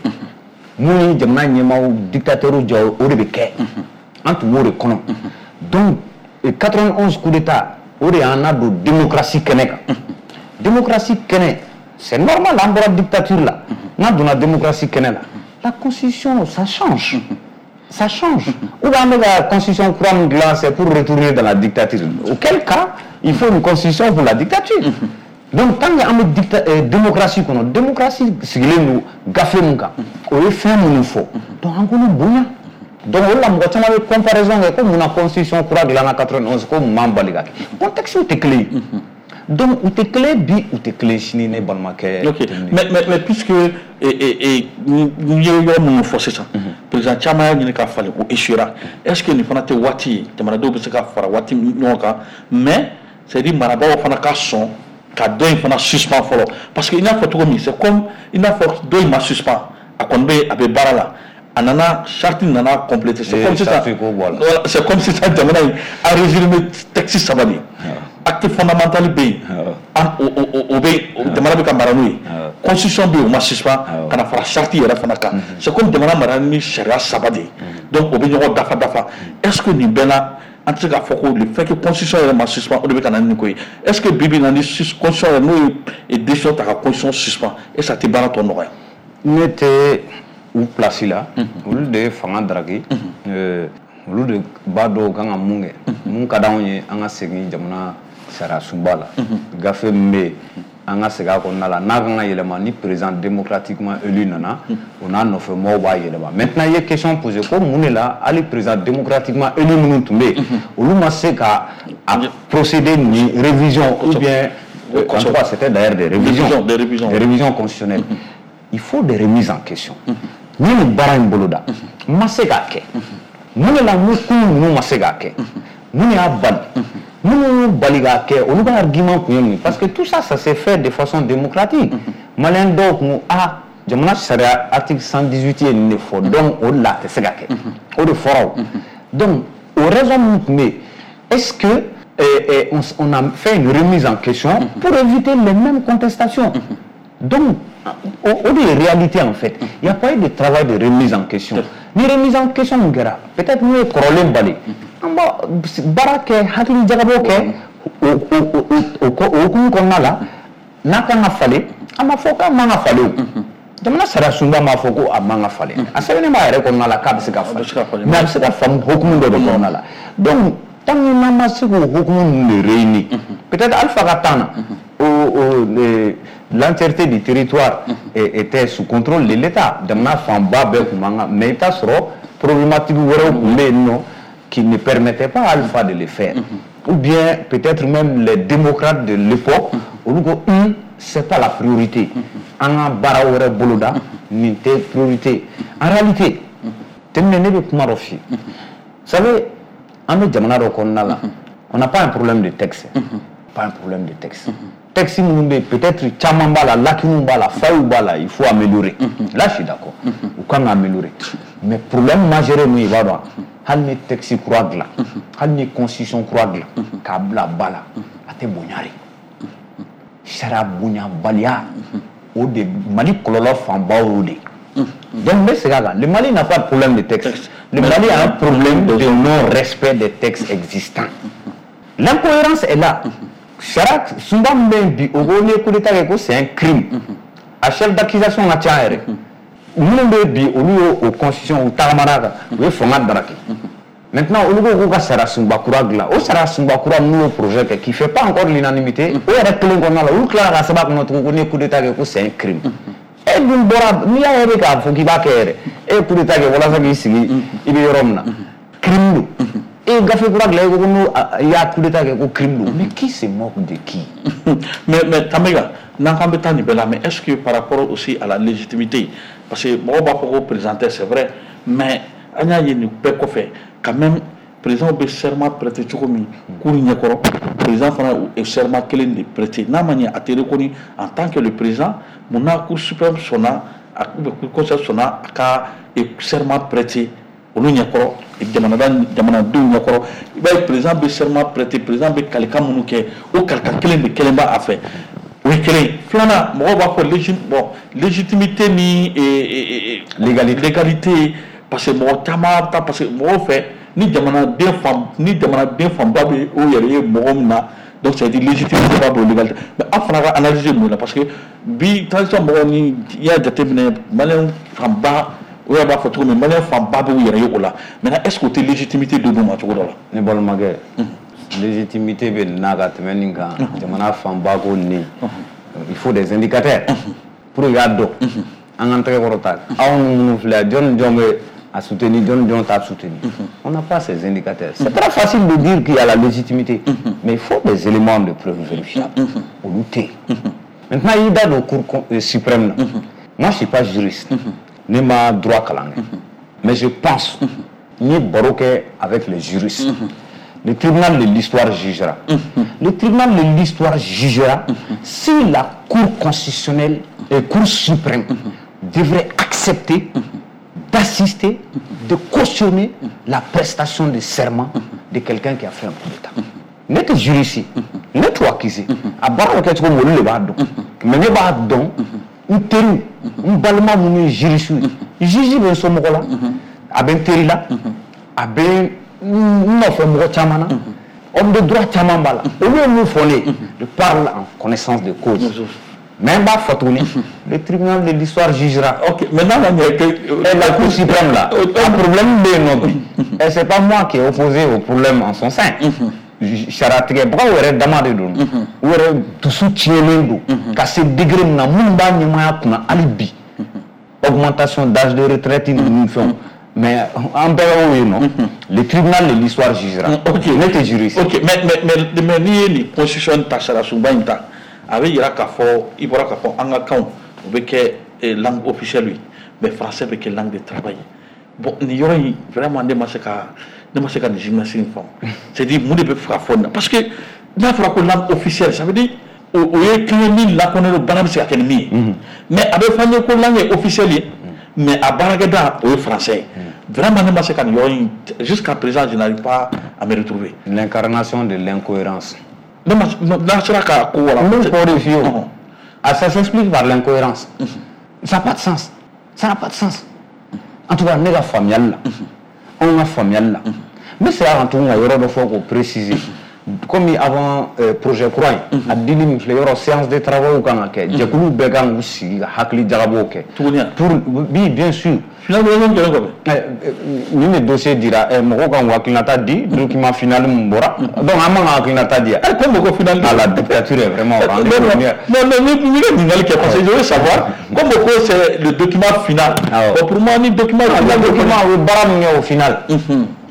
mun ni jamana ɲɛmaaw dictateur jɔ, o de bɛ kɛ, an tun b'o de kɔnɔ. Donc quatre-vingt-onze coup d'état, o de y'an nadon démocratie kɛnɛ kan. Démocratie kɛnɛ, c'est normal, an bɔra dictature la, n'an donna démocratie kɛnɛ la, la constitution, ça change, ça change. Ou bien an bɛ ka constitution kura min dilan, c'est pour retourner dans la dictature, auquel cas il faut une constitution pour la dictature. Donc tant que an bɛ dicta euh, démocratie kɔnɔ, démocratie sigilen don gafe mun kan, o ye fɛn minnu fɔ, donc an k'olu bonya. Donc o de la mɔgɔ caman bɛ comparaison kɛ ko munna constitution kura dilanna quatre-vingt-onze, ko mun m'an bali ka kɛ. Contexte tɛ kelen ye, donc u tɛ kelen bi, u tɛ kelen sini, ne balimakɛ. Ok, mais mais mais puisque n ye yɔrɔ minnu fɔ sisan, président caman y'a ɲini ka falen, o échouera, est ce que nin fana tɛ waati ye jamanadenw bɛ se ka fara waati ɲɔgɔn kan, mais c'est à dire marabagaw fana ka sɔn Ka dɔ in fana suspend fɔlɔ, parce que i n'a fɔ cogo min, c'est comme i n'a fɔ dɔ in ma suspend, a kɔni bɛ, a bɛ baara la, a nana charte nana compléter. C'est comme sisan, c'est comme sisan jamana in a résumé texte saba de ye: acte fondamental bɛ yen, o bɛ jamana bɛ ka mara n'o ye, constitution bɛ yen, o ma suspend, ka na fara charte yɛrɛ fana kan. C'est comme jamana mara ni sariya saba de ye, donc o bɛ ɲɔgɔn dafa dafa. Est ce que nin bɛɛ la, an tɛ se k'a fɔ ko le fait que constitution yɛrɛ ma suspend, o de bɛ ka na ni nin ko ye? Est ce que bi bi in na, ni constitution yɛrɛ n'o ye décision ta ka constitution suspend, est ce que a tɛ baara tɔ nɔgɔya? Ne tɛ u place la. Olu de ye fanga daraki, olu de b'a dɔn u kan ka mun kɛ. Mun ka d'anw ye, an ka segin jamana sariya sunba la, gafe min bɛ yen, an ka segin a kɔnɔna la. N'a kan ka yɛlɛma, ni président démocratiquement élu nana, o n'a nɔfɛ mɔgɔw b'a yɛlɛma. Maintenant, i ye question posée ko mun de la hali président démocratiquement élu minnu tun bɛ yen, olu ma se ka a procéder ni révision ou bien, en tout cas, c'était d'ailleurs des révisions, des révisions, des révisions constitutionnelles. Il faut des remises en question. Ni nin baara in boloda n ma se k'a kɛ, mun de la mun kun ninnu ma se k'a kɛ? Mun de y'a bali? Minnu y'u bali k'a kɛ, olu ka argument kun ye mun ye? Parce que tout ça, ça s'est fait de façon démocratique. Maliyɛn dɔw kun a jamana sariya article cent dix-huit ye nin de fɔ, donc o de la a tɛ se ka kɛ, o de fɔra. O donc o raison min tun bɛ yen, est-ce que eh, eh, on, on a fait une remise en question pour éviter les mêmes contestations? Donc o o de ye réalité. En fait, il y a pas eu de travail de remise en question. Ni remise en question mun kɛra, peut-être n'u ye kɔrɔlen bali, an b'a baara kɛ, hakili jagabɔ kɛ o o o o o hukumu kɔnɔna la. N'a kan ka falen, an b'a fɔ k'a man ka falen. O jamana sariya sunba m'a fɔ ko a man ka falen, a sɛbɛnnen b'a yɛrɛ kɔnɔna la k'a bɛ se ka falen, mais a bɛ se ka faamu hukumu dɔ de kɔnɔna la. Donc tant que n'an ma se k'o hukumu ninnu de réunir, peut-être Alpha ka temps na, o o l'entièreté du territoire était sous contrôle de l'État, jamana fanba bɛɛ tun b'an kan, mais i bɛ taa sɔrɔ problématique wɛrɛw tun bɛ yen nɔ qui ne permettait pas à Alpha de le faire, ou bien peut-être même les démocrates de l'époque, olu ko un c'est pas la priorité, an ka baara wɛrɛ boloda, nin tɛ priorité. En réalité, tɛmɛnɛ ne bɛ kuma dɔ f'i ye. Vous savez, an bɛ jamana dɔ kɔnɔna la, on n'a pas un problème de texte, pas un problème de texte. Texte minnu bɛ yen, peut-être caman b'a la, lacunes b'a la, failles b'a la, il faut améliorer. Là, je suis d'accord, u kan ka améliorer. Mais problème majeur ye mun ye, i b'a dɔn, hali ni texte kura dilan, hali ni constitution kura dilan k'a bila ba la, a tɛ bonya de. Sariya bonyabaliya, o de Mali kɔlɔlɔ fanba y'o de ye. Donc n bɛ segin a kan, le Mali n'a pas de problème de texte, le Mali a un problème de non-respect des textes existants. L'incohérence est là. Sariya sunba min bɛ yen bi, o ko n'i ye coup d'état kɛ ko c'est un crime, a chef d'accusation ka ca yɛrɛ. Minnu bɛ bi, olu y'o o constitution, u tagamana kan, u ye fanga daraki. Maintenant, olu ko k'u ka sariya sunba kura dilan. O sariya sunba kura n'u y'o projet kɛ, qui fait pas encore l'unanimité, o yɛrɛ kelen kɔnɔna la, olu tilara ka sɛbɛn a kɔnɔ tugun ko n'i ye coup d'état kɛ ko c'est un crime. E dun bɔra, n'i y'a ye k'a fɔ k'i b'a kɛ yɛrɛ, e ye coup d'état kɛ walasa k'i sigi i bɛ yɔrɔ min na, crime don. E ye gafe kura dilan, e ko ko n'o i y'a coup d'état kɛ ko crime don. Mais qui se moque de qui? mais mais Tambega, n'an k'an bɛ taa nin bɛɛ la, mais est-ce que par rapport aussi à la légitimité, parce que mɔgɔw b'a fɔ ko président tɛ, c'est vrai, mais an y'a ye nin bɛɛ kɔfɛ quand même, président bɛ serment prêter cogo min cour ɲɛkɔrɔ, président fana ye serment kelen de prêter. N'a ma ɲɛ a tɛ reconnu en tant que le président, mun na Cour suprême sɔnna ou bien Cour constitutionnelle sɔnna a ka serment prêter olu ɲɛkɔrɔ, jamana jamanadenw ɲɛkɔrɔ? I b'a ye président bɛ serment prêter, président bɛ kalikan minnu kɛ, o kalikan kelen de kelen b'a fɛ. O ye kelen ye. Filanan, mɔgɔw b'a fɔ légit bon légitimité ni légalité légalité, parce que mɔgɔ caman ta, parce que mɔgɔw fɛ, ni jamanaden fan ni jamanaden fanba bɛ o yɛrɛ ye mɔgɔ min na, donc c'est à dire légitimité b'a bolo, légalité. Mais an fana ka analyse ye mun ye? Parce que bi transition mɔgɔw, ni i y'a jateminɛ, maliyɛn fanba, o yɛrɛ b'a fɔ cogo min, maliyɛn fanba b'u yɛrɛ ye o la. Maintenant, est ce que o tɛ légitimité dɔ d'u ma cogo dɔ la? Ne balimakɛ, légitimité bɛ nin na ka tɛmɛ nin kan. Jamana fanba ko nin, il faut des indicateurs pour que i k'a dɔn. An k'an tɛgɛ kɔrɔ ta, anw minnu filɛ, jɔn ni jɔn bɛ a soutenir, jɔn ni jɔn t'a soutenir? On n'a pas ces indicateurs. C'est très facile de dire qu'il y a la légitimité, mais il faut des éléments de preuve vérifiables. Olu tɛ yen. Maintenant, i da don Cour suprême na, moi, je suis pas juriste, ne ma droit kalan kɛ, mais je pense, n ye baro kɛ avec les juristes. Le tribunal de l'histoire jugera. Le tribunal de l'histoire jugera si la Cour constitutionnelle et Cour suprême devrait accepter d'assister, de cautionner la prestation de serment de quelqu'un qui a fait un coup d'État. Ne tɛ juriste, ne t'o accusé. A baara bɛ kɛ cogo min, olu de b'a dɔn. Mais ne b'a dɔn, n teriw, n balima minnu ye juriste ye, juge bɛ n somɔgɔ la, a bɛ n teri la, a bɛ n nɔfɛ mɔgɔ caman na, homme de droit caman b'a la. Olu ye mun fɔ ne ye? Je parle en connaissance de cause. Mais n b'a fɔ tuguni, le tribunal de l'histoire jugera. Ok, maintenant on est que Et la Cour suprême là, un problème bɛ yen nɔ bi. Et c'est pas moi qui est opposé au problème en son sein. Sariyatigɛbagaw yɛrɛ dama de don. U yɛrɛ dusu tiɲɛnen don ka se degré min na, minnu b'a ɲɛmaaya kunna hali bi. Augmentation d'âge de retraite ninnu fɛnw. Mais an bɛɛ y'o ye nɔ. Le tribunal de l'histoire jugera. Ok. Ne tɛ juriste. Ok, mais mais mais mais n'i ye nin constitution ta, sariyasunba in ta, a bɛ yira k'a fɔ, i bɔra k'a fɔ an ka kanw o bɛ kɛ langue officielle ye, mais français bɛ kɛ langue de travail. Bon, nin yɔrɔ in vraiment, ne ma se ka ne ma se ka nin gymnastique in faamu. C'est à dire, mun de bɛ fɛ ka fɔ nin na? Parce que n'a fɔra ko langue officielle, ça veut dire o o ye kan ye min lakodɔnnen don, baara bɛ se ka kɛ ni min ye. Mais a bɛ fɔ an ye ko langue ye officielle ye, mais a baarakɛda o ye français ye. Vraiment, ne ma se ka nin yɔrɔ in, jusqu'à présent je n'arrive pas à me retrouver. L'incarnation de l'incohérence. Ne ma, n'a sera ka ko wala. N b'o fɔ de f'i ye o. Ah, ça s'explique par l'incohérence. Ça n'a pas de sens. Ça n'a pas de sens. En tout cas, ne ka faamuyali la, anw ka faamuyali la, n bɛ segin a kan tuguni ka yɔrɔ dɔ fɔ k'o préciser. Comme avant euh, projet kura in, a dili min filɛ, yɔrɔ séance de travail kan ka kɛ, jɛkulu bɛɛ kan k'u sigi ka hakili jagabɔw kɛ. Tuguni yan? Pour, oui, bien sûr. Finalement kɛlen kɔfɛ. Nin de dossier dira, mɔgɔw kan k'u hakilinata di, document final min bɔra. Donc an man ka hakilinata di yan. Comme ko final. Ah, la dictature est vraiment au rendez-vous. Non, non, non, ni ka ɲininkali kɛ, parce que je veux savoir, comme ko c'est le document final. Bon, pour moi, ni document final, le document, o ye baara min kɛ au final.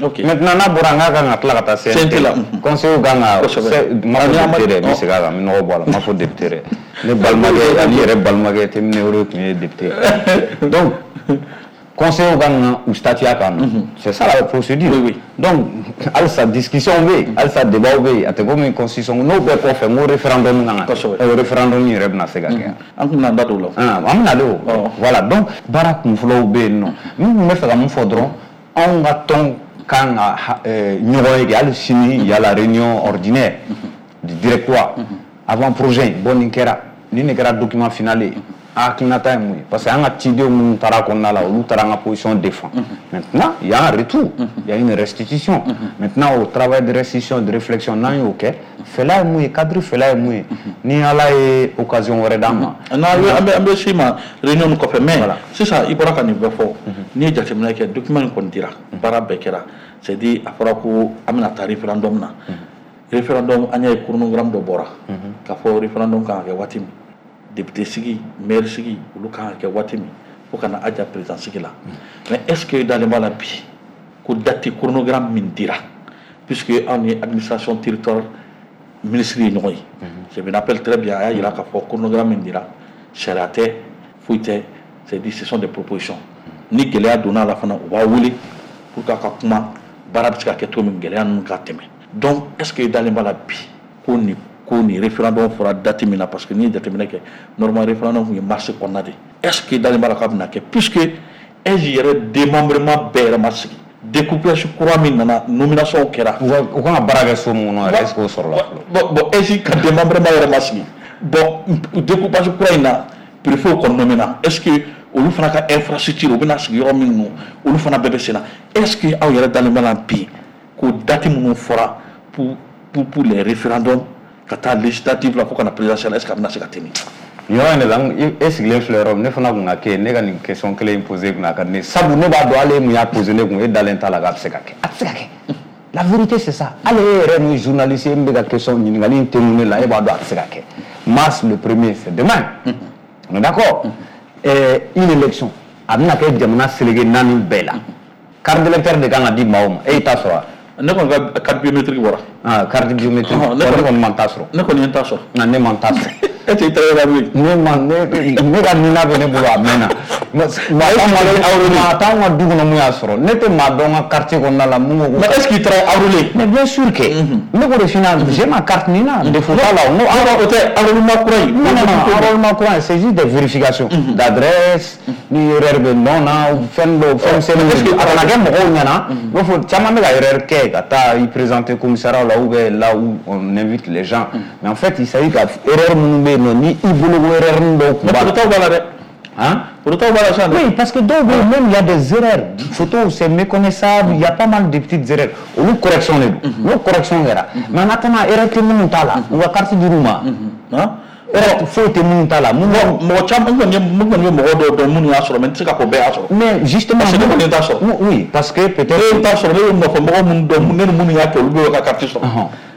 Ok. Maintenant, n'a bɔra, n k'a kan ka tila ka taa C N T la. Conseil kan ka, n ma fɔ député dɛ, n bɛ segin a kan, n bɛ nɔgɔ bɔ a la, n ma fɔ député dɛ. Ne balimakɛ ani yɛrɛ balimakɛ Timine o de tun ye député. Donc conseil kan ka u statuer a kan. C'est ça la procédure. Oui, oui. Donc halisa discussion bɛ yen, halisa débat bɛ yen, a tɛ komi constitution n'o bɛɛ kɔfɛ, n ko référendum kan ka kɛ. O référendum yɛrɛ bɛna se ka kɛ. An tun bɛna an da don o la. An bɛna de o. Voilà, donc baara kunfɔlɔw bɛ yen nɔ. N tun bɛ fɛ ka mun fɔ dɔrɔn, anw ka tɔn kan ka ɲɔgɔn ye kɛ hali sini, il y a la réunion ordinaire du directoire avant projet in. Bon, nin kɛra, nin de kɛra document final ye. A hakilinata ye mun ye? Parce que an ka cidenw minnu taara kɔnɔna la, olu taara an ka position défend. Maintenant, il y a un retour, il y a une restitution. Maintenant, au travail de restitution, de réflexion, n'an y'o kɛ, fɛla ye mun ye, cadre fɛla ye mun ye, ni Ala ye occasion wɛrɛ d'an ma. N'an bɛ an bɛ s'i ma réunion kɔfɛ, mais sisan i bɔra ka nin bɛɛ fɔ, n'i ye jateminɛ kɛ, document in kɔni dira, baara bɛɛ kɛra, c'est à dire a fɔra ko an bɛna taa référendum na. Référendum, an y'a ye chronogramme dɔ bɔra k'a fɔ référendum kan ka kɛ waati min, député sigi, maire sigi, olu kan ka kɛ waati min, fo ka na aja président sigi la. Mais est ce que dalen b'a la bi ko date chronogramme min dira, puisque anw ni administration territoire ministre ye ɲɔgɔn ye, je me rappelle très bien, a y'a yira k'a fɔ chronogramme min dira, sariya tɛ, foyi tɛ, c'est à dire ce sont des propositions. Ni gɛlɛya donna a la fana, u b'a wele pour que a ka kuma, baara bɛ se ka kɛ cogo min, gɛlɛya ninnu ka tɛmɛ. Donc est ce que dalen b'a la bi ko nin ko nin référendum fɔra date min na? Parce que n'i ye jateminɛ kɛ, normalement référendum tun ye mars kɔnɔna de. Est ce que dalen b'a la k'a bɛna kɛ, puisque A I S yɛrɛ démembrement bɛɛ yɛrɛ ma sigi, découpage kura min nana, nomination kɛra? U kan ka baara kɛ so min kɔnɔ yɛrɛ, est ce que o sɔrɔla fɔlɔ? Bon, bon, A I S ka démembrement yɛrɛ ma sigi. Bon, découpage kura in na, préfet kɔni nommé na, est ce que olu fana ka infrastructure, u bɛna sigi yɔrɔ min, olu fana bɛɛ bɛ sen na? Est ce que aw yɛrɛ dalen b'a la bi ko date minnu fɔra pour pour pour les référendums, ka taa législative la fo ka na présidentielle, est ce que a bɛna se ka tɛmɛ? Nin yɔrɔ in de la, e sigilen filɛ yɔrɔ min, ne fana kun ka kɛ ne ka nin question kelen in posé kunna a ka di ne, sabu ne b'a dɔn hali e mun y'a posé ne kun, e dalen t'a la k'a bɛ se ka kɛ. A tɛ se ka kɛ. La vérité, c'est ça. Hali e yɛrɛ min ye journaliste ye, min bɛ ka question ɲininkali in tɛnku ne la, e b'a dɔn a tɛ se ka kɛ. Mars le premier, c'est demain, on est d'accord? Une élection a bɛna kɛ jamana seleke naani bɛɛ la, carte d'électeur de kan ka di maaw ma, e y'i ta sɔrɔ wa? Ne kɔni ka carte biométrique bɔra. Ah, carte biométrique. Ne kɔni ma ta sɔrɔ. Ne kɔni ye n ta sɔrɔ. Nka ne ma ta sɔrɔ. E tɛ i tɛgɛ la bilen. Ne ma ne ne ka nina bɛ ne bolo a mɛnna. Maa t'anw ka du kɔnɔ mun y'a sɔrɔ. Ne tɛ maa dɔn n ka quartier kɔnɔna la mun ko. Mais est-ce qu'il taara enrôler? Mais bien sûr que. Ne k'o de f'i ɲɛna, j'ai ma carte NINA. Défaut t'a la. Non, o tɛ enrôlement kura in. Non non non, enrôlement kura in, c'est juste des vérifications d'adresse, ni erreur bɛ nom na, fɛn dɔw, fɛn misɛnninw. A kana kɛ mɔgɔw ɲɛna. I b'a fɔ caman bɛ ka erreur kɛ ka taa i présenter commissariat la ou bien là où on invite les gens. Mais en fait, il s'agit ka erreur minnu bɛ yen nɔ, ni i bolo ko erreur dɔw kun b'a la. Mais photo b'a la dɛ. Hein? Oui, parce que dɔw bɛ yen, même il y a des erreurs. Photo, c'est méconnaissable, il y a pas mal de petites erreurs. Olu correction de don. N'o correction kɛra. Mais en attendant, erreur tɛ minnu t'a la, u ka carte dir'u ma. Erreur foyi tɛ minnu t'a la. Mɔgɔ caman, n kɔni ye n kɔni ye mɔgɔ dɔw dɔn minnu y'a sɔrɔ, mais n tɛ se k'a fɔ bɛɛ y'a sɔrɔ. Mais justement, parce que ne kɔni t'a sɔrɔ. Oui, parce que peut-être. Ne t'a sɔrɔ, ne bɛ nɔfɛ mɔgɔ minnu dɔn, ne ni minnu y'a kɛ, olu bɛ ka carte sɔrɔ.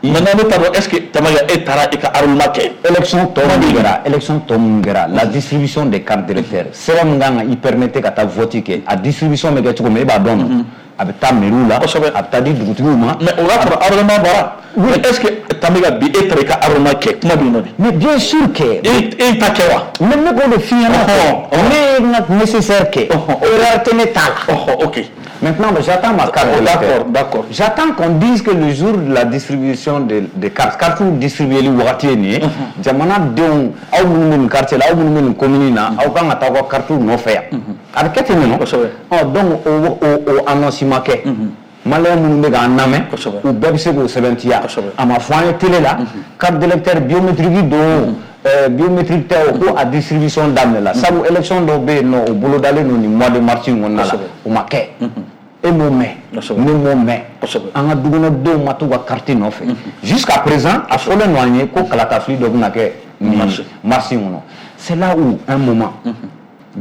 Maintenant ne t'a dɔn, est-ce que Tamaja e taara i ka enrôlement kɛ? Élection tɔ min kɛra, élection tɔ min kɛra, la distribution des cartes d'électeurs, sɛbɛn min kan ka i permettre ka taa vote kɛ, a distribution bɛ kɛ cogo min, e b'a dɔn nɔ. A bɛ taa mairie la, a bɛ taa di dugutigiw ma. Mais o y'a sɔrɔ enrôlement bɔra. Mais est-ce que Tamaja bi e taara i ka enrôlement kɛ, kuma bɛ yen nɔ de. Mais bien sûr que. E e ta kɛ wa? Mais ne k'o de f'i ɲɛna. Ne ye n ka nécessaire kɛ. Erreur tɛ ne ta la. Ok. Maintenant, j'attends ma carte d'électeur. D'accord, d'accord. J'attends qu'on dise que le jour de la distribution des de cartes, cartes distribuées wagati ye nin ye, jamana denw, aw minnu bɛ nin quartier la, aw minnu bɛ nin commune na, aw kan ka taa aw ka carte nɔfɛ yan. A bɛ kɛ ten de nɔ. Kosɛbɛ. Ɔ donc o o o annonce ma kɛ. Maliyɛn minnu bɛ k'an lamɛn, u bɛɛ bɛ se k'o sɛbɛntiya. A ma fɔ an ye télé la, carte d'électeur biométrique don. Euh, biométrique tɛ o ko a distribution daminɛ la, sabu élection dɔw bɛ yen nɔ, o bolodalen don nin mois de mars in kɔnɔna la, o ma kɛ. E m'o mɛn, ne m'o mɛn, an ka dukɔnɔdenw ma t'u ka carte nɔfɛ. Jusqu'à présent, a fɔlen don an ye ko kalatafili dɔ bɛna kɛ nin mars in kɔnɔ. C'est là où un moment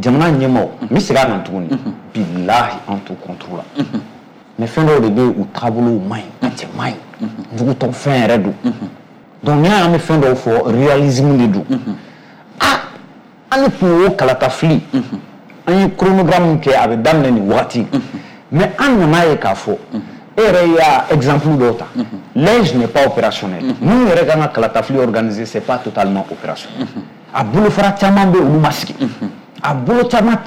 jamana ɲɛmaaw, n bɛ segin a kan tuguni, bilahi an t'u contre la, mais fɛn dɔw de bɛ yen, u taabolow man ɲi, a cɛ man ɲi, jugutɔ fɛn yɛrɛ don. Donc n'i y'a ye an bɛ fɛn dɔw fɔ, réalisme de don. Ah, an tun y'o kalatafili, an ye chronogramme kɛ, a bɛ daminɛ nin wagati, mais an nana ye k'a fɔ, e yɛrɛ y'a exemple dɔw ta, l'A I G n'est pas opérationnel. Minnu yɛrɛ kan ka kalatafili organiser, c'est pas totalement opérationnel. A bolofara caman bɛ yen, olu ma sigi. A bolo caman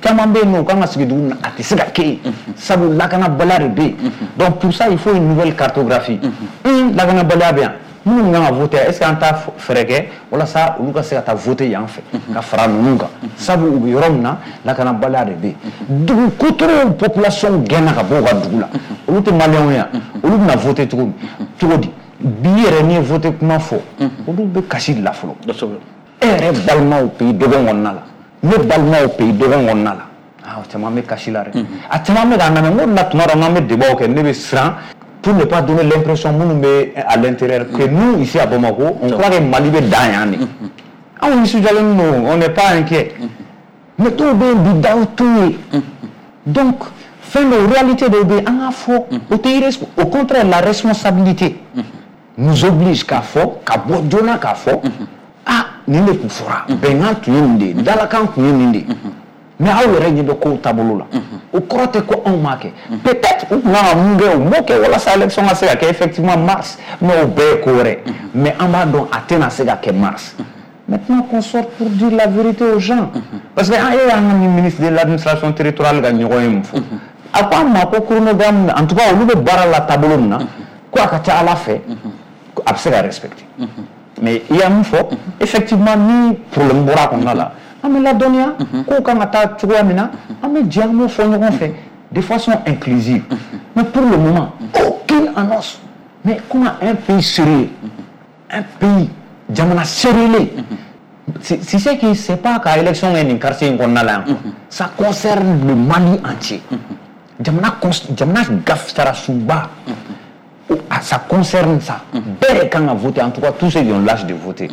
caman bɛ yen nɔ, u kan ka sigi dugu min na, a tɛ se ka kɛ yen, sabu lakanabaliya de bɛ yen. Donc pour ça, il faut une nouvelle cartographie. Lakanabaliya bɛ yan. Minnu kan ka voter, est-ce que an t'a fɛɛrɛ kɛ walasa olu ka se ka taa voter yan fɛ ka fara ninnu kan, sabu u bɛ yɔrɔ min na, lakanabaliya de bɛ yen. Dugu kotorow population gɛnna ka bɔ u ka dugu la, olu tɛ maliyɛnw ye yan, olu bɛna voter cogo min cogo di? Bi yɛrɛ n'i ye voter kuma fɔ, olu bɛ kasi de la fɔlɔ. E yɛrɛ balimaw pays dɔgɔn kɔnɔna la, ne balimaw pays dɔgɔn kɔnɔna la, ah, o caman bɛ kasi la dɛ. A caman bɛ k'an lamɛn, n ko la tuma dɔ n'an bɛ débat kɛ, ne bɛ siran pour ne pas donner l'impression à l'intérieur que nous, ici à Bamako, on croit que Mali bɛ dan yan de. Anw nisɔndiyalen don, on n'est pas inquiet. Mais dɔw bɛ yen bi, daw t'u ye. Donc fɛn dɔw, réalité dɔw bɛ yen, an k'a fɔ, o tɛ, au contraire, la responsabilité nous oblige k'a fɔ, ka bɔ joona k'a fɔ, ah, nin de tun fɔra, bɛnkan tun ye nin de ye, dalakan tun ye nin de ye. Mais aw yɛrɛ ɲɛ bɛ kow taabolo la, o kɔrɔ tɛ ko anw m'a kɛ. Peut-être u tun kan ka mun kɛ, u m'o kɛ walasa élection ka se ka kɛ effectivement mars, mais o bɛɛ ye ko wɛrɛ. Mais an b'a dɔn a tɛna se ka kɛ mars. Maintenant qu'on sorte pour dire la vérité aux gens, parce que an e y'an ka ni ministre de l'administration territoriale ka ɲɔgɔn ye mun fɔ, a ko an ma ko chronogramme, en tout cas olu bɛ baara la taabolo min na, ko a ka ca Ala fɛ a bɛ se ka respecter. Mais i y'a mun fɔ, effectivement ni problème bɔra a kɔnɔna la, an bɛ ladɔnniya kow kan ka taa cogoya min na, an bɛ jɛ an b'o fɔ ɲɔgɔn fɛ de façon inclusive. Mais pour le moment, aucune annonce. Mais comment un pays sérieux, un pays jamana sérieux, si c'est que c'est pas ka élection kɛ nin quartier in kɔnɔna la yan, ça concerne le Mali entier. Jamana jamana gafarasunba, ça concerne ça. Bɛɛ de kan ka voter, en tout cas tous ceux qui ont l'âge de voter.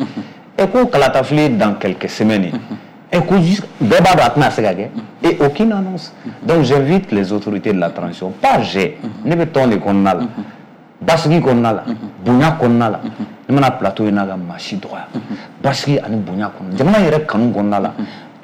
Et ko kalatafili dans quelques semaines, et ko bɛɛ b'a dɔn a tɛna se ka kɛ, et aucune annonce. Donc j'invite les autorités de la transition, pas j'ai, ne bɛ tɔn de kɔnɔna la, basigi kɔnɔna la, bonya kɔnɔna la, ne mana plateau in na ka maa si dɔgɔya, basigi ani bonya kɔnɔ, jamana yɛrɛ kanu kɔnɔna la,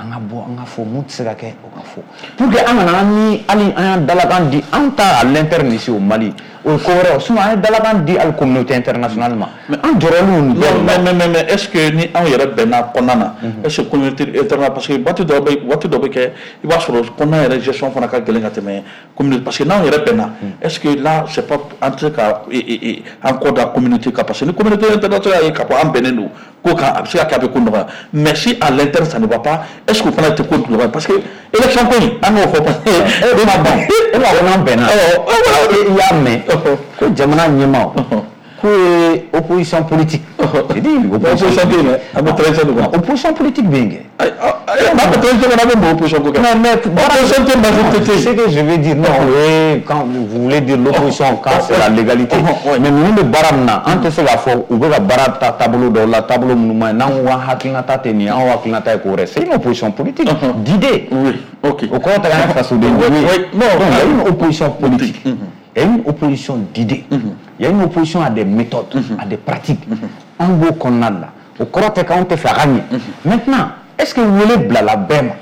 An ka bɔ, an ka fɔ mun tɛ se ka kɛ, o ka fɔ, pour que an kana an ni hali an y'an dalakan di an ta à l'interne ici au Mali, o ye ko wɛrɛ ye. Sinon an ye dalakan di hali communauté internationale ma, an jɔrɔlen don nin bɛɛ de la. Mais mais mais est-ce que ni anw yɛrɛ bɛnna kɔnɔna na, est-ce que communauté internationale, parce que waati dɔ bɛ waati dɔ bɛ kɛ, i b'a sɔrɔ kɔnɔna yɛrɛ gestion fana ka gɛlɛn ka tɛmɛ communauté, parce que n'anw yɛrɛ bɛnna, est-ce que là c'est pas an tɛ se ka an kɔ da communauté kan? Parce que ni communauté internationale ye k'a fɔ an bɛnnen don ko kan, a bɛ se ka kɛ a bɛ ko nɔgɔya. Mais si à l'interne ça ne va pas, est-ce que o fana tɛ ko nɔgɔya? Parce que élection ko in, an k'o fɔ, parce que E ma ban, e b'a fɔ n'an bɛnna, i y'a mɛn ko jamana ɲɛmaaw k'u ye opposition politique. J'ai dit opposition tɛ yen dɛ, an bɛ transition de kɔnɔ. Opposition politique bɛ yen kɛ. N'a bɛ transition kɔnɔ, an bɛ mun opposition ko kɛ? Mais, mais opposition tɛ, majorité tɛ yen. Ce que je veux dire, non, oui, quand vous voulez dire l'opposition, quand c'est la légalité. Mais ninnu bɛ baara min na, an tɛ se k'a fɔ u bɛ ka baara ta taabolo dɔw la, taabolo minnu ma ɲi. N'an ko k'an hakilinata tɛ nin ye, anw hakilinata ye ko wɛrɛ. C'est une opposition politique d'idée. Oui, ok. O kɔrɔ tɛ k'an ye fasoden jugu ye. Oui, non. Donc il y a une opposition politique. Il y a une opposition d'idées. Il y a une opposition à des méthodes, à des pratiques. An b'o kɔnɔna de la. O kɔrɔ tɛ k'anw tɛ fɛ a ka ɲɛ. Maintenant, est-ce que wele bilala bɛɛ ma?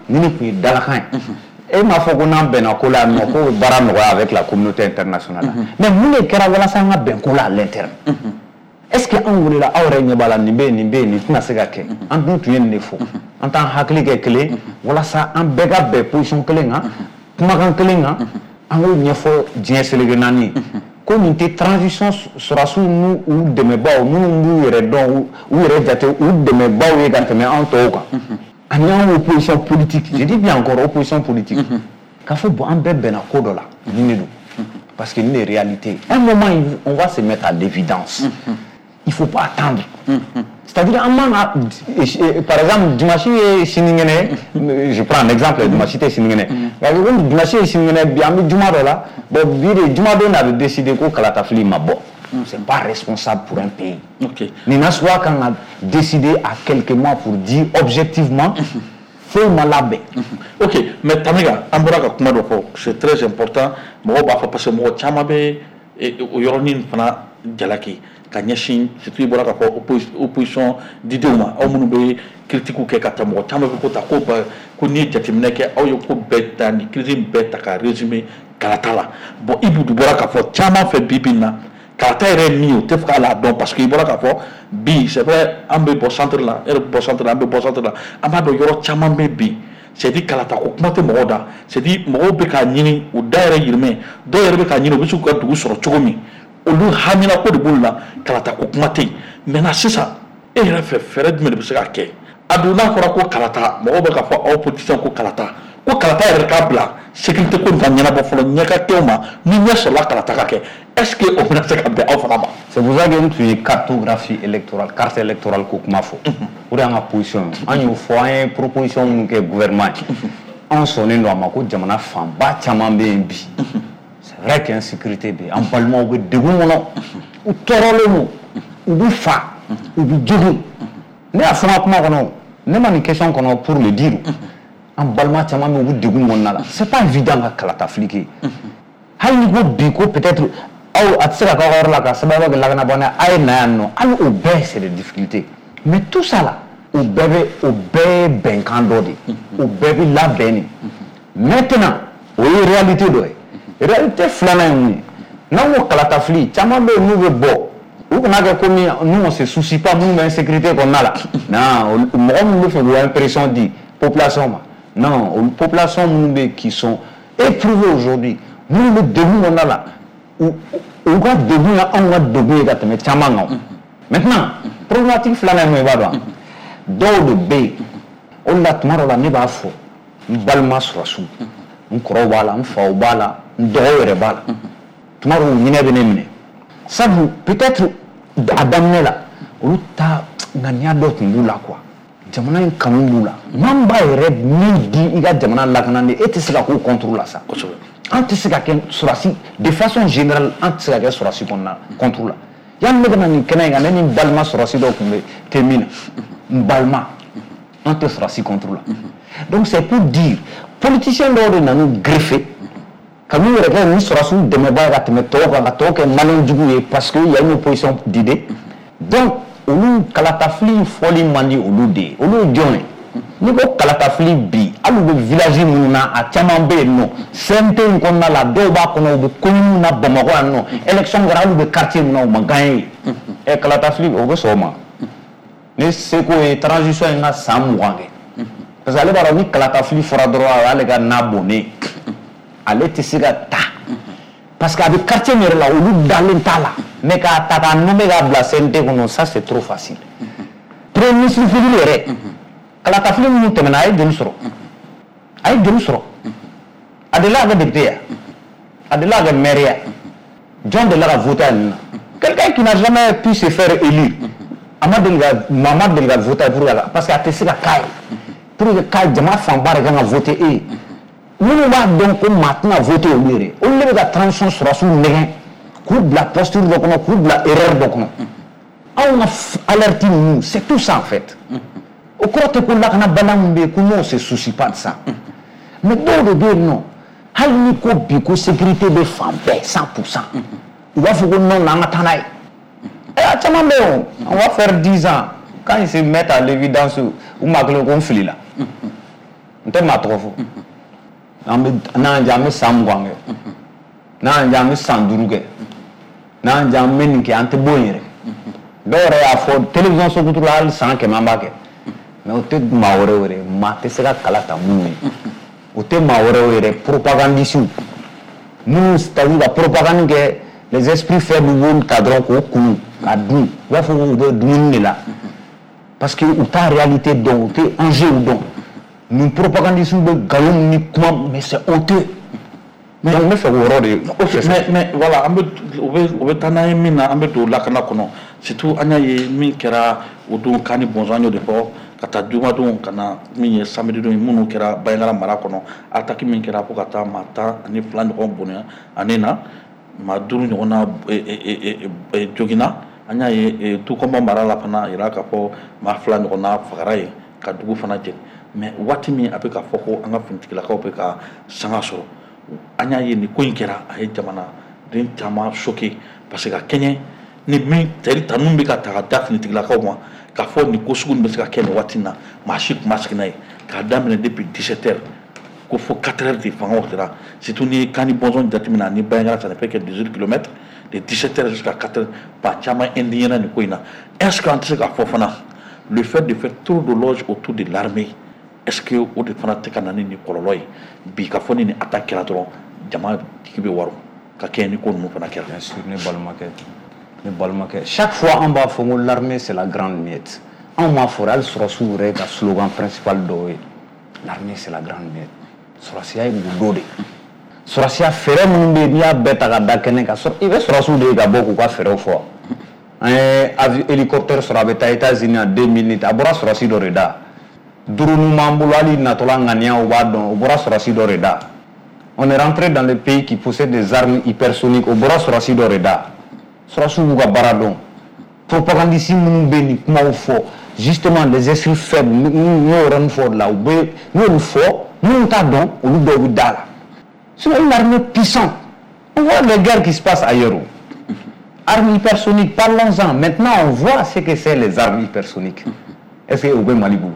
Ni nin tun ye dalakan ye. E m'a fɔ ko n'an bɛnna ko la yan nɔ, k'o bɛ baara nɔgɔya avec la communauté internationale. Mais mun de kɛra walasa an ka bɛn ko la à l'interne? Est-ce que anw welela? Aw yɛrɛ ɲɛ b'a la, nin bɛ yen, nin bɛ yen, nin tɛna se ka kɛ. An dun tun ye nin de fɔ. An t'an hakili kɛ kelen walasa an bɛɛ ka bɛn position kelen kan, kumakan kelen kan, an k'o ɲɛfɔ diɲɛ seleke naani ye. Ko nin tɛ transition sɔrɔdasiw n'u u dɛmɛbaaw minnu b'u yɛrɛ dɔn, u yɛrɛ jate u dɛmɛbaaw ye ka tɛmɛ anw tɔw kan. Ani anw opposition politique, je dis bien encore opposition politique. K'a fɔ bon, an bɛɛ bɛnna ko dɔ la, nin de don. Parce que nin de ye réalité. Un moment, on va se mettre à l'évidence. Il faut pas attendre. C'est-à-dire, an man ka, par exemple, dimanche ye sinikɛnɛ, je prends un exemple, dimanche tɛ sinikɛnɛ. Nka komi dimanche ye sinikɛnɛ, bi an bɛ juma dɔ la, bon, bi de jumadon de a bɛ décider ko kalatafili ma bɔ. C'est pas responsable pour un pays. Ok. Nin nasuguya kan ka décider à quelques mois pour dire objectivement foyi ma labɛn. Ok, mais Tamiga, an bɔra ka kuma dɔ fɔ, c'est très important. Mɔgɔw b'a fɔ parce que mɔgɔ caman bɛ o yɔrɔnin fana jalaki ka ɲɛsin, surtout i bɔra k'a fɔ opposition didenw ma, aw minnu bɛ critique kɛ ka taa, mɔgɔ caman bɛ ko ta ko ko n'i ye jateminɛ kɛ, aw ye ko bɛɛ ta, nin crise bɛɛ ta ka résumer kalata la. Bon, Ibou bɔra k'a fɔ caman fɛ bi bi in na, kalata yɛrɛ ye min ye, o tɛ fɛ k'a la dɔn, parce que i bɔra k'a fɔ bi, c'est vrai, an bɛ bɔ centre la, e yɛrɛ bɛ bɔ centre la, an bɛ bɔ centre la, an b'a dɔn yɔrɔ caman bɛ bi, c'est dire kalata ko kuma tɛ mɔgɔw da, c'est dire mɔgɔw bɛ k'a ɲini u da yɛrɛ yirimɛ, dɔw yɛrɛ bɛ k'a ɲini u bɛ se k'u ka dugu sɔrɔ cogo min, olu hamina ko de b'olu la, kalata ko kuma tɛ yen. Maintenant sisan, e yɛrɛ fɛ, fɛɛrɛ jumɛn de bɛ se ka kɛ? A dun n'a fɔra ko kalata, mɔgɔw bɛ k'a fɔ aw politiciens ko kalata, ko kalata yɛrɛ k'a bila sécurité ko nin ka ɲɛnabɔ fɔlɔ, ɲɛ ka kɛ o ma, ni ɲɛ sɔrɔla kalata ka kɛ, est-ce que o bɛna se ka bɛn aw fana ma? C'est pour ça que n tun ye cartographie électorale, carte électorale ko kuma fɔ. O de y'an ka position ye. An y'o fɔ, an ye proposition minnu kɛ gouvernement ye. Anw sɔnnen don a ma ko jamana fanba caman bɛ yen bi. C'est vrai que insécurité bɛ yen. An balimaw bɛ degun kɔnɔ. U tɔɔrɔlen don. U bɛ fa. U bɛ jogun. Ne y'a fɔ n ka kuma kɔnɔ, ne ma nin question kɔnɔ pour le dire. An balima caman bɛ yen, u bɛ degun kɔnɔna la. C'est pas évident ka kalata fili kɛ. Hali ni ko bi ko peut-être aw a tɛ se ka k'aw ka yɔrɔ la ka sababu kɛ lakanabana, a ye na yan nɔ, hali o bɛɛ c'est des difficultés. Mais tout ça là, o bɛɛ bɛ o bɛɛ ye bɛnkan dɔ de ye. O bɛɛ bɛ labɛn de. Maintenant, o ye réalité dɔ ye. Réalité filanan ye mun ye? N'an ko kalatafili, caman bɛ yen n'u bɛ bɔ, u kana kɛ komi nous on se soucie pas minnu bɛ insécurité kɔnɔna la. Non, mɔgɔ minnu bɛ fɛ k'u impression di population ma. Non, population minnu bɛ yen qui sont éprouvés aujourd'hui, minnu bɛ degun kɔnɔna la, u u ka degun ye anw ka degun ye ka tɛmɛ caman kan. Maintenant, problématique filanan ye mun ye, i b'a dɔn wa? Dɔw de bɛ yen, o de la tuma dɔ la ne b'a fɔ n balima sɔrɔdasiw, n kɔrɔw b'a la, n faw b'a la, n dɔgɔw yɛrɛ b'a la, tuma dɔw ɲinɛ bɛ ne minɛ, sabu peut-être a daminɛ la olu ta ŋaniya dɔ tun b'u la quoi, jamana in kanu b'u la. Maa min b'a yɛrɛ min di i ka jamana lakanani, e tɛ se ka k'o contre la sa. Kosɛbɛ. An tɛ se ka kɛ sɔrɔdasi, de façon générale, an tɛ se ka kɛ sɔrɔdasi kɔnɔna contre la. Yanni ne ka na nin kɛnɛ in kan, ne ni n balima sɔrɔdasi dɔw tun bɛ tɛ min na, n balima, an tɛ sɔrɔdasi contre la. Donc c'est pour dire, politicien dɔw de nan'u greffer ka n'u yɛrɛ kɛ ni sɔrɔdasiw dɛmɛbaa ye ka tɛmɛ tɔw kan, ka tɔw kɛ maliyɛn jugu ye, parce que il y a une opposition d'idées. Donc olu kalatafili fɔli man di olu de ye. Olu ye jɔn ye? N'i ko kalatafili bi, hali u bɛ village minnu na, a caman bɛ yen nɔ, C N T in kɔnɔna la, dɔw b'a kɔnɔ, u bɛ commune na Bamakɔ yan nɔ, élection kɛra, hali u bɛ quartier min na, u ma gagné. Ɛ, kalatafili, o bɛ sɔn o ma. Ne seko ye transition in ka san mugan kɛ, parce que ale b'a dɔn ni kalatafili fɔra dɔrɔn, a y'ale ka na bonnen, ale tɛ se ka ta, parce que a bɛ quartier min yɛrɛ la, olu dalen t'a la. Mais k'a ta k'a nommer k'a bila C N T kɔnɔ, ça c'est trop facile. Premier ministre figure yɛrɛ, kalatafili minnu tɛmɛna, a ye joli sɔrɔ? A ye joli sɔrɔ? A delila ka kɛ député ya, a delila ka kɛ maire ya, jɔn delila ka voter a nin na? Quelqu'un qui n'a jamais pu se faire élire, a ma deli ka, maa ma deli ka voter pour que, parce que a tɛ se ka k'a ye, pour que k'a jama fanba de kan ka voter e ye. Minnu b'a dɔn ko maa tɛna voter olu yɛrɛ, olu de bɛ ka transition sɔrɔsiw nɛgɛn k'u bila posture dɔ kɔnɔ, k'u bila erreur dɔ kɔnɔ. Anw ka alerte ninnu, c'est tout ça en fait. O kɔrɔ tɛ ko lakanabaliya min bɛ yen ko nous, on se soucie pas de ça, mais dɔw de bɛ yen nɔ, hali ni ko bi ko sécurité bɛ fan bɛɛ cent pour cent, u b'a fɔ ko non, an ka taa n'a ye. Ɛ, a caman bɛ yen o, on va faire dix ans, quand ils se mettent à l'évidence, u maa kelen ko n filila, n tɛ maa tɔgɔ fɔ. An bɛ n'an diya, an bɛ san mugan kɛ, n'an diya, an bɛ san duuru kɛ, n'an diya, an bɛ nin kɛ, an tɛ bɔ yen yɛrɛ. Dɔw yɛrɛ y'a fɔ télévision Sokuturu la, hali san kɛmɛ an b'a kɛ. Mais o tɛ maa wɛrɛw yɛrɛ, maa tɛ se ka kala ta minnu ye, o tɛ maa wɛrɛw yɛrɛ, propagandistes minnu, c'est-à-dire ka propagande kɛ, les esprits faibles b'olu ta dɔrɔn k'o kunu k'a dun, u b'a fɔ k'u bɛ dumuni de la, parce que u t'a réalité dɔn, u tɛ enjeu dɔn. Nin propagandistes bɛ nkalon ni kuma, mais c'est honteux. Donc n bɛ fɛ k'o yɔrɔ de. Ok, mais mais voilà, an bɛ o bɛ o bɛ taa n'an ye min na, an bɛ don lakana kɔnɔ. Surtout an y'a ye min kɛra o don Kani Bɔnzɔn, an y'o de fɔ ka taa jumadon ka na min ye samedi don ye, minnu kɛra Banjagara mara kɔnɔ, attaque min kɛra fo ka taa maa tan ani fila ɲɔgɔn bonya ani na maa duuru ɲɔgɔn na joginna. An y'a ye Dukɔnba mara la fana, a yira k'a fɔ maa fila ɲɔgɔn na fagara yen ka dugu fana jeni. Mais waati min a bɛ ka fɔ ko an ka finitigilakaw bɛ ka sanga sɔrɔ, an y'a ye nin ko in kɛra, a ye jamanaden caman choqué, parce que ka kɛɲɛ ni min tɛri tanu bɛ ka ta ka da finitigilakaw ma, k'a fɔ nin ko sugu nin bɛ se ka kɛ nin waati in na, maa si tun ma sigi n'a ye. K'a daminɛ depuis dix-sept heures ko fo quatre heures de fangaw sera, surtout ni ye Kani Bɔnzɔn jateminɛ ani Banjagara, ça ne fait que dix-huit kilomètres, de dix-sept heures jusqu'à quatre heures, ba caman indigné nin ko in na. Est-ce que an tɛ se k'a fɔ fana, le fait de faire trop d'éloges autour de l'armée, est-ce que o de fana tɛ ka na ni nin kɔlɔlɔ ye bi, ka fɔ ni nin attaque kɛra dɔrɔn, jama jigi bɛ waro ka kɛɲɛ ni ko ninnu fana kɛra? Bien sûr, ne balimakɛ, ne balimakɛ, chaque fois an b'a fɔ ko l'armée, c'est la grande muette. Anw m'a fɔ, hali sɔrɔsiw yɛrɛ ka slogan principal dɔw ye "l'armée, c'est la grande muette". Sɔrɔsiya ye gundo de, sɔrɔsiya fɛɛrɛ minnu bɛ yen, n'i y'a bɛɛ ta ka da kɛnɛ kan, i bɛ sɔrɔsiw de ye ka bɔ k'u ka fɛɛrɛw fɔ. An ye hélicoptère sɔrɔ, a bɛ taa États-Unis en deux minutes, a bɔra sɔrɔsi dɔ de da. Drone b'an bolo, hali natɔla ŋaniya, u b'a dɔn, o bɔra sɔrɔsi dɔ de da. On est rentré dans le pays qui possède des armes hypersoniques, o bɔra sɔrɔsi dɔ de da. Sɔrɔsiw b'u ka baara dɔn. Propagandiste minnu bɛ nin kumaw fɔ, justement les esprits faibles, n y'o yɔrɔnin fɔ o de la, u bɛ n'olu fɔ, minnu t'a dɔn, olu dɔw bɛ da la. Sinon, une armée puissante, on voit les guerres qui se passent ailleurs. Armes hypersoniques, parlons-en. Maintenant, on voit ce que c'est, les armes hypersoniques. Est-ce que u bɛ Mali bolo?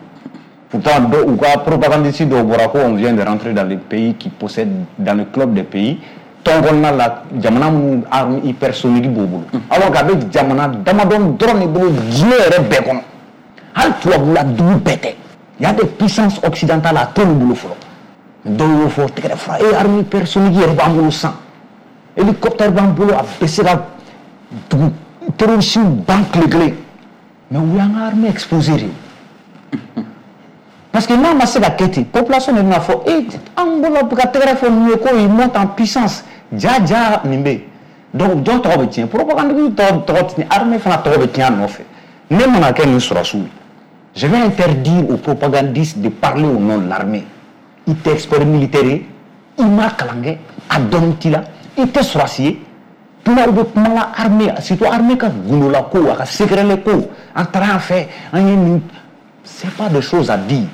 Pourtant, u ka propagandiste dɔw bɔra ko on vient de rentrer dans les pays qui possèdent, dans le club des pays tɔn kɔnɔna la, jamana minnu arme hypersonique b'u bolo, alors qu'a bɛ jamana damadɔ dɔrɔn de bolo diɲɛ yɛrɛ bɛɛ kɔnɔ. Hali tubabula dugu bɛɛ tɛ, il y a des puissances occidentales, a t'olu bolo fɔlɔ. Dɔw y'o fɔ tɛgɛrɛ fura e, arme hypersonique yɛrɛ b'an bolo sisan, hélicoptère b'an bolo, a bɛ se ka dugu terroriste ban tile kelen. Mais u y'an ka armée exposé de, parce que n'a ma se ka kɛ ten, population de bɛna fɔ e an bolo ka tɛgɛrɛ fɔ ninnu ye ko ils montent en puissance. Ja ja, nin bɛ yen. Donc jɔn tɔgɔ bɛ tiɲɛ? Propagande tɔgɔ tɔgɔ tiɲɛ, armée fana tɔgɔ bɛ tiɲɛ a nɔfɛ. Ne mana kɛ nin sɔrɔsiw ye, je vais interdire aux propagandistes de parler au nom de l'armée. I tɛ expert militaire ye, i ma kalan kɛ, a dɔnni t'i la, i tɛ sɔrɔsi ye. Kumaw bɛ kuma la armée, surtout armée ka gundola ko, a ka secret ko, an taara yan fɛ, an ye nin, c'est pas des choses à dire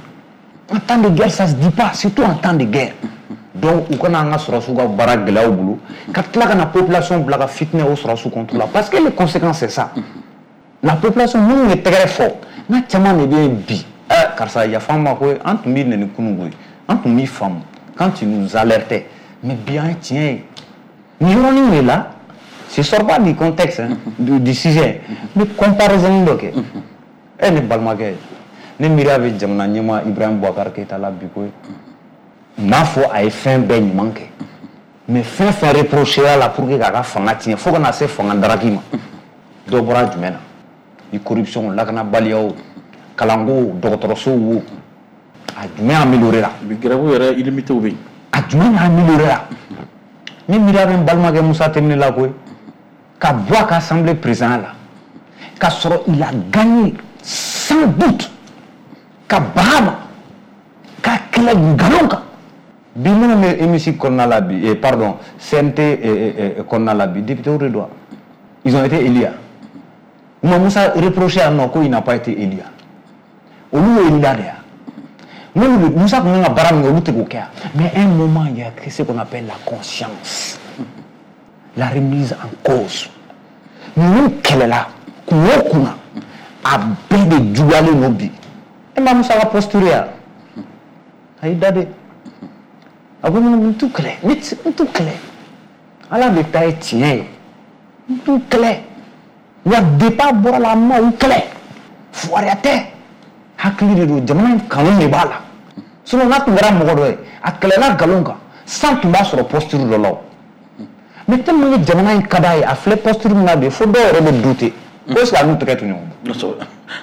en temps de guerre, ça se dit pas, surtout en temps de guerre. Donc u kana an ka sɔrɔsiw ka baara gɛlɛya u bolo, ka tila ka na population bila ka fitinɛ o sɔrɔsiw contre la, parce que les conséquences, c'est ça. La population minnu ye tɛgɛrɛ fɔ, n'a caman de bɛ yen bi, Eh karisa yafa n ma koyi, an tun b'i nɛni kunun koyi, an tun b'i faamu quand tu nous alertais, mais bi an ye tiɲɛ ye. Nin yɔrɔnin de la, je sors pas du contexte, hein, du, du sujet, n bɛ comparaison dɔ kɛ. E ne balimakɛ, ne miiriya bɛ jamana ɲɛmaa Ibrahim Boubacar Keïta la bi koyi. N m'a fɔ a ye fɛn bɛɛ ɲuman kɛ, mais fɛn fɛn reproché a la pour que k'a ka fanga tiɲɛ fo ka na se fanga daraki ma, dɔ bɔra jumɛn na? Ni corruption, lakanabaliya o, kalanko, dɔgɔtɔrɔsow wo, a jumɛn amélioré la? Bi grève yɛrɛ illimité bɛ yen. A jumɛn amélioré la? Ne miiriya bɛ n balimakɛ Musa Timbiné la koyi, ka bɔ a ka assemblée président la, k'a sɔrɔ il a gagné sans doute, ka baga a ma, k'a kɛlɛ nkalon kan. Bi minnu bɛ hémicycle kɔnɔna la bi, eh, pardon, C N T eh, eh, kɔnɔna la bi, député de don. Ils ont été élus. U ma Musa reproché yan nɔ ko il n'a pas été élu. Olu y'o élu la de ya. N'olu Musa tun kan ka baara min kɛ, olu tɛ k'o kɛ yan. Mais un moment, il y a ce qu'on appelle la conscience, la remise en cause. Ninnu kɛlɛla kun o kun na, a bɛɛ de juguyalen don bi. E ma Musa ka posture ya, a y'i da de, a ko n t'u kɛlɛ, n t'u kɛlɛ, Ala de ta ye tiɲɛ ye, n t'u kɛlɛ. Wa depuis a bɔra la, a ma u kɛlɛ, fugariya tɛ, hakili de don, jamana in kanu de b'a la. Sinon n'a tun kɛra mɔgɔ dɔ ye, a kɛlɛla nkalon kan, san tun b'a sɔrɔ posture dɔ la o. Mais tellement que jamana in ka d'a ye, a filɛ posture min na bi, fo dɔw yɛrɛ bɛ douter ko est ce que a n'u tɛgɛ to ɲɔgɔn bolo.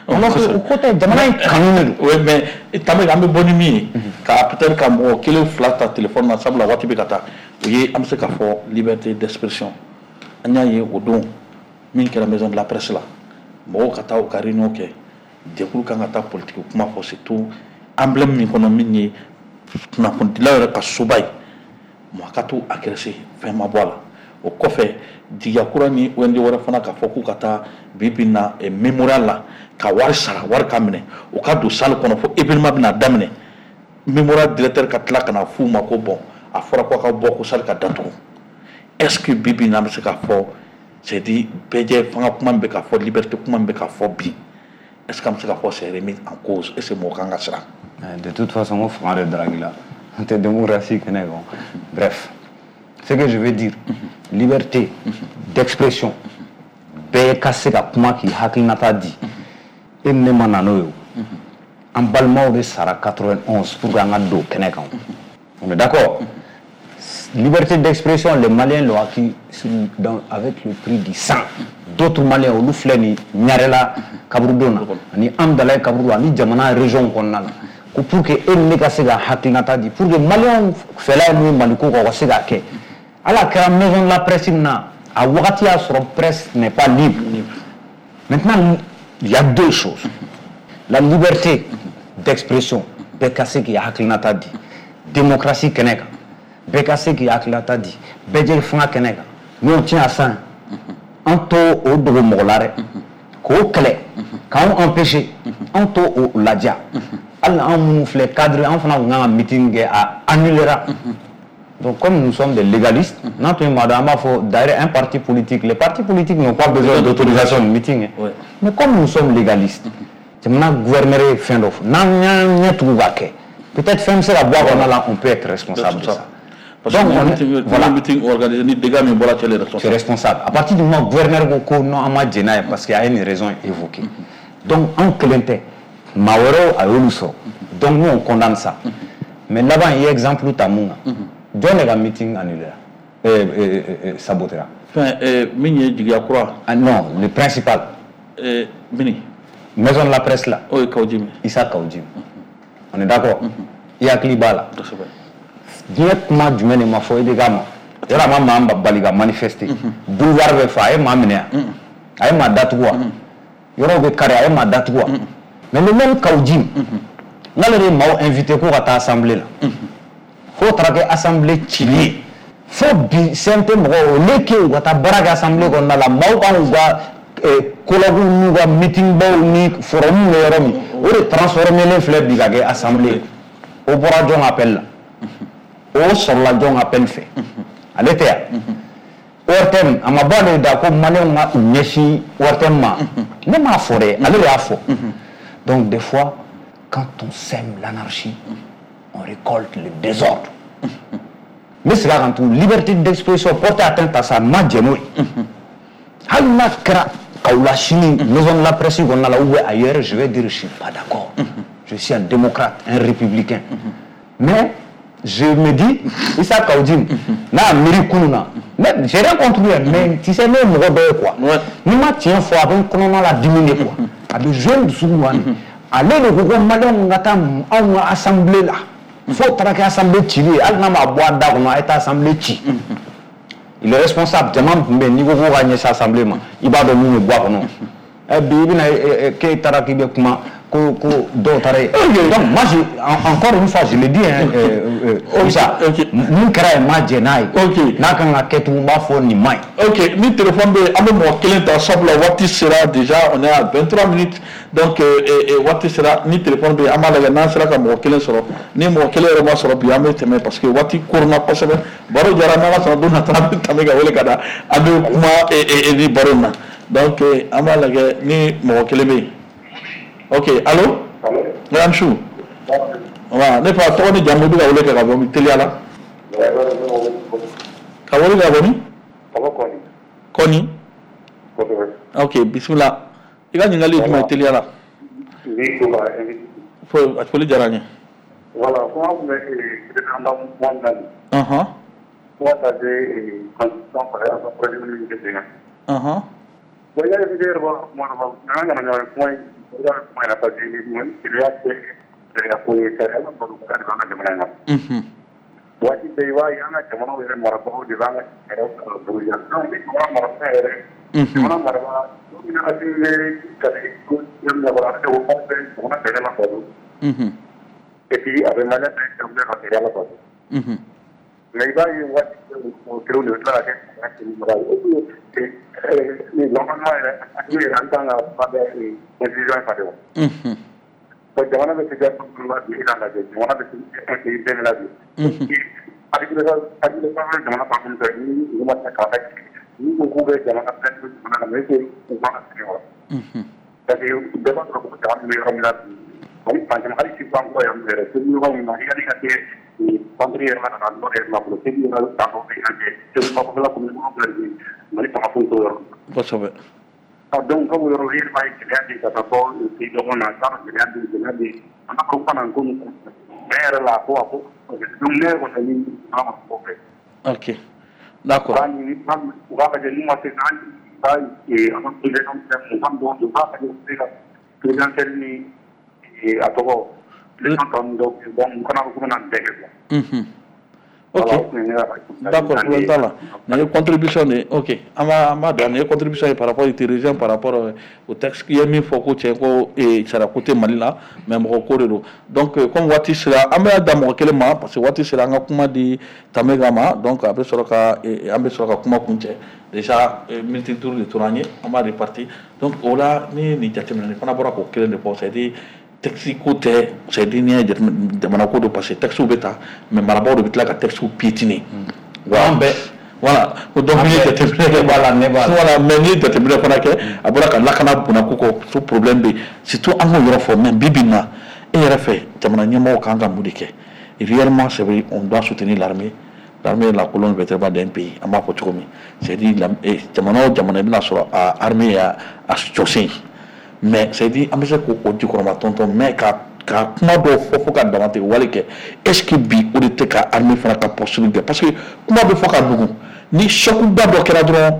Alors que o ko tɛ, jamana in kanu de don. Oui, mais Tame, an bɛ bɔ ni min ye, ka peut-être ka mɔgɔ kelen fila ta téléphone na, sabula waati bɛ ka taa, o ye an bɛ se k'a fɔ liberté d'expression. An y'a ye o don min kɛra maison de la presse la, mɔgɔw ka taa u ka réunion kɛ, jɛkulu kan ka taa politique kuma fɔ, surtout emblème min kɔnɔ, min ye kunnafonidilaw yɛrɛ ka soba ye, mɔgɔ ka t'u agressé, fɛn ma bɔ a la. O kɔfɛ, jigiya kura ni O N G wɛrɛ fana k'a fɔ k'u ka taa bi bi in na mémorial la, ka wari sara, wari ka minɛ, u ka don salle kɔnɔ fo événement bɛna daminɛ, mémorial directeur ka tila ka na f'u ma ko bon, a fɔra ko a ka bɔ, ko salle ka datugu. Est ce que bi bi in na an bɛ se k'a fɔ, c'est dire bɛɛ fanga kuma min bɛ ka fɔ, liberté kuma min bɛ ka fɔ bi, est ce que an bɛ se k'a fɔ c'est remis en cause? Est ce que mɔgɔ kan ka siran? De toute façon, ko fanga de daraki la, an tɛ démocratie kɛnɛ kan. Bref, ce que je veux dire, liberté d'expression, bɛɛ ka se ka kuma k'i hakilinata di. E ni ne ma na n'o ye o, an balimaw de sara quatre-vingt-onze pour que an ka don kɛnɛ kan. On est d'accord? Liberté d'expression, les Maliens l'ont acquis dans, avec le prix du sang. D'autres Maliens, olu filɛ nin Ɲarela kaburudon na, ani Amdalaye kaburudon, ani jamana région kɔnɔna la, ko pour que e ni ne ka se ka hakilinata di, pour que Maliens fɛla ye mun ye Maliko kan, u ka se k'a kɛ. Ala kɛra maison de la presse min na, a wagati y'a sɔrɔ presse n'est pas libre. Maintenant, il y a deux choses: la liberté d'expression, bɛɛ ka se k'i hakilinata di démocratie kɛnɛ kan, bɛɛ ka se k'i hakilinata di bɛɛ jɛ fanga kɛnɛ kan. Nous, on tient à ça, an t'o o dogo mɔgɔ la dɛ, k'o kɛlɛ k'anw empêcher, an t'o o ladiya. Hali anw minnu filɛ cadre, an fana tun kan ka meeting kɛ, a annulera. Donc comme nous sommes des légalistes, n'an tun ye maa dɔn, an b'a fɔ d'ailleurs un parti politique, les partis politiques n'ont pas besoin d'autorisation de meeting, hein. Ouais. Mais comme nous sommes légalistes, jamana gouverneur ye fɛn dɔ fɔ, n'an y'an ɲɛ tugu k'a kɛ, peut-être fɛn bɛ se ka bɔ a kɔnɔna la, on peut être responsable de ça. Parce que Donc, on est- meeting, voilà. meeting organisé ni dégâts min bɔra, cɛ le C'est responsable. Responsable. À partir du moment où le gouverneur ko ko non, an ma jɛn n'a ye parce qu'il y a une raison évoquée. Donc anw kelen tɛ, maa wɛrɛw a y'olu sɔrɔ. Donc nous, on condamne ça. Mais laban, i ye exemple ta mun kan? Jɔn de ka meeting annulé la? Euh, euh, euh, saboté la? Fɛn eh, min ye jigiya kura. Ah non, le principal. eh, mini Maison de la presse là. O ye Kaou Djim. Issa Kaou Djim. On est d'accord? I hakili b'a la. Kosɛbɛ. Diɲɛ kuma jumɛn de ma fɔ I B K ma? Yɔrɔ a ma maa bali ka manifester. Boulevard bɛ fa, a ye maa minɛ yan. A ye maa datugu wa? Yɔrɔw bɛ kari, a ye maa datugu wa? Mais le même Kaou Djim, n'ale de ye maaw invité ko ka taa assemblée la, f'o taara kɛ assemblée cili ye. Fo bi C N T mɔgɔw, au lieu que u ka taa baara kɛ assemblée kɔnɔna la, maaw kan k'u ka colloque n'u ka meeting baw ni forum bɛ yɔrɔ min, o de transformé len filɛ bi ka kɛ assemblée. O bɔra jɔn appel la? O sɔrɔla jɔn appel fɛ? Ale tɛ yan. O R T M, a ma bɔ ale da ko maliyɛnw ka u ɲɛsin O R T M ma. Ne m'a fɔ dɛ, ale de y'a fɔ. Donc des fois Quand on sème l'anarchie, on récolte le désordre. N bɛ segin a kan tugun, liberté d'expression, porter atteinte à ça, n ma jɛn n'o ye. Hali n'a kɛra Kaolack sini, maison de la presse kɔnɔna la ou bien ailleurs, je vais dire je suis pas d'accord. Je suis un démocrate, un républicain. Mais je me dis, Issa Kaou Djim n'a miiri kunun na, mais j'ai rien contre lui, mais tu sais, ne ye mɔgɔ dɔ ye quoi. Ni ma tiɲɛ fɔ, a bɛ n kɔnɔna la dimi de quoi. A bɛ jouer n dusukun kan de. Ale de ko ko maliyɛnw ka taa anw ka assemblée la, fo taara kɛ assemblée cili ye, hali n'a ma bɔ a da kɔnɔ, a ye taa assemblée ci. Il est responsable. Jama tun bɛ yen, n'i ko k'o ka ɲɛsin assemblée ma, i b'a dɔn mun bɛ bɔ a kɔnɔ. Ɛ bi, i bɛna k'e taara k'i bɛ kuma ko ko dɔw taara yen. Donc moi, je, encore une fois, je le dis, hein, euh, euh, Issa, mun kɛra yen, ma jɛn n'a ye. N'a kan ka kɛ tugun, n b'a fɔ nin ma ɲi. Ok, ni téléphone bɛ yen, an bɛ mɔgɔ kelen ta, sabula waati sera déjà, on est à vingt-trois minutes, donc waati sera. Ni téléphone bɛ yen, an b'a lajɛ n'an sera ka mɔgɔ kelen sɔrɔ. Ni mɔgɔ kelen yɛrɛ ma sɔrɔ bi, an bɛ tɛmɛ, parce que waati koronna kosɛbɛ. Baro jara, n'Ala sɔnna, don nata an bɛ tɛmɛ ka wele ka na, an bɛ kuma ni baro in na. Donc an b'a lajɛ ni mɔgɔ kelen bɛ yen. Ok, allo? Madame Chou. Voilà, ne fa, tɔgɔ ni jamu, i bɛ ka wele kɛ ka bɔ min, teliya la? Ka wele ka bɔ min? Kɔni. Ok, bisimila. I ka ɲininkali ye jumɛn ye, teliya la? Foli diyara n ye. Voilà, kuma tun bɛ an ka kuma min na nin. Ɔhɔn. Fo ka taa se constitution fara an ka projet min bɛ sen kan. Ɔhɔn. Bon, i y'a ye, yɛrɛ b'a kuma dɔ fɔ, an kana ɲɔgɔn kuma in, i b'a kuma in na, parce que sariya tɛ sariya ko ye, sariya la bato de b'an ka jamana in kɔnɔ. Waati bɛɛ i b'a ye, an ka jamanaw yɛrɛ marabagaw de b'an ka sariyaw buruja. Donc ni jamana marabaga yɛrɛ, jamana marabaga, don min na Assimi bɛ ka ko yɔrɔ min na, a bɛ ko k'aw bɛ jamana sariya la bato. Et puis a bɛ maliyɛn bɛɛ ka sariya la bato. Mais i b'a ye, waati bɛɛ kelenw de bɛ tila ka kɛ sariya kɛbaga ye. Normalement yɛrɛ, hakili yɛrɛ, an kan ka ba bɛɛ constitution falen wa. Bon, jamana bɛ situation min na bi, e k'a lajɛ, jamana bɛ pays bɛɛ la bi. Hakili hakili jamana fan min fɛ, ni u ma se k'a lajɛ, ni ko k'u bɛ jamana bɛɛ to jamana na, mais est-ce que u kan ka sigi wa? Parce que bɛɛ b'a sɔrɔ ko jamana bɛ yɔrɔ min na bi, hali fan caman, hali sisan kɔ yan yɛrɛ, segu yɔrɔ min na, yanni ka kɛ centre yɛrɛ la, ka na nord yɛrɛ la fɔlɔ, segu yɛrɛ ta dɔ bɛ yan cɛ, segu bakɔfɛla commune kɔnɔ filɛ nin ye, Mali fanga foyi t'o yɔrɔ. Kosɛbɛ. Ah, donc comme yɔrɔ i yɛrɛ b'a ye, gɛlɛya bɛ yen ka taa fɔ pays dɔgɔnin na, i t'a dɔn, gɛlɛya bɛ yen, gɛlɛya bɛ yen. An b'a fɔ ko kana ko nin bɛɛ yɛrɛ la, ko a ko donc ne yɛrɛ kɔni ɲini an ka mɔgɔw fɛ. Ok, d'accord. U k'a ɲini, u k'a lajɛ n'u ma se an ka an ka président fɛn mugan dɔw, u k'a lajɛ u bɛ se ka présidentielle ni a tɔgɔ élection tɔ ninnu dɔw kɛ, bon, u kana fɔ k'u bɛna nin bɛɛ kɛ quoi. Ok, d'accord, problème t'a la. Nin ye contribution de ye. Ok, an b'a an b'a dɔn, nin ye contribution ye par rapport au par rapport au texte. I ye min fɔ ko tiɲɛ, ko sariya ko tɛ Mali la, mais mɔgɔ ko de don. Donc comme waati sera, an bɛ da mɔgɔ kelen ma, parce que waati sera, an ka kuma di Tamega ma. Donc a bɛ sɔrɔ ka an bɛ sɔrɔ ka kuma kuncɛ. Déjà minute duuru de tora an ye, an b'a reparti. Donc o la, ni ye nin jateminɛ, nin fana bɔra k'o kelen de fɔ, c'est à dire texte ko tɛ, c'est à dire n'i y'a jateminɛ, jamana ko don, parce que texte bɛ ta, mais marabaaw de bɛ tila ka texte piétiner. An bɛɛ. Voilà, donc n'i ye jateminɛ kɛ, b'a la, ne b'a la. Voilà, mais n'i ye jateminɛ fana kɛ, a bɔra ka lakana bonya ko kɔ, so problème bɛ yen, surtout an k'o yɔrɔ fɔ. Mais bi bi in na, e yɛrɛ fɛ, jamana ɲɛmɔgɔw kan ka mun de kɛ réellement? C'est vrai, on doit soutenir l'armée. L'armée est la colonne vertébrale d'un pays, an b'a fɔ cogo min, c'est à dire jamana o jamana, i bɛna sɔrɔ a armée y'a a jɔsen, mais c'est à dire an bɛ se k'o jukɔrɔma tɔntɔn, mais ka ka kuma dɔw fɔ fo ka damatɛmɛ wale kɛ. Est ce que bi o de tɛ ka armée fana ka posture kɛ? Parce que kuma bɛ fɔ ka nugu, ni choc ba dɔ kɛra dɔrɔn,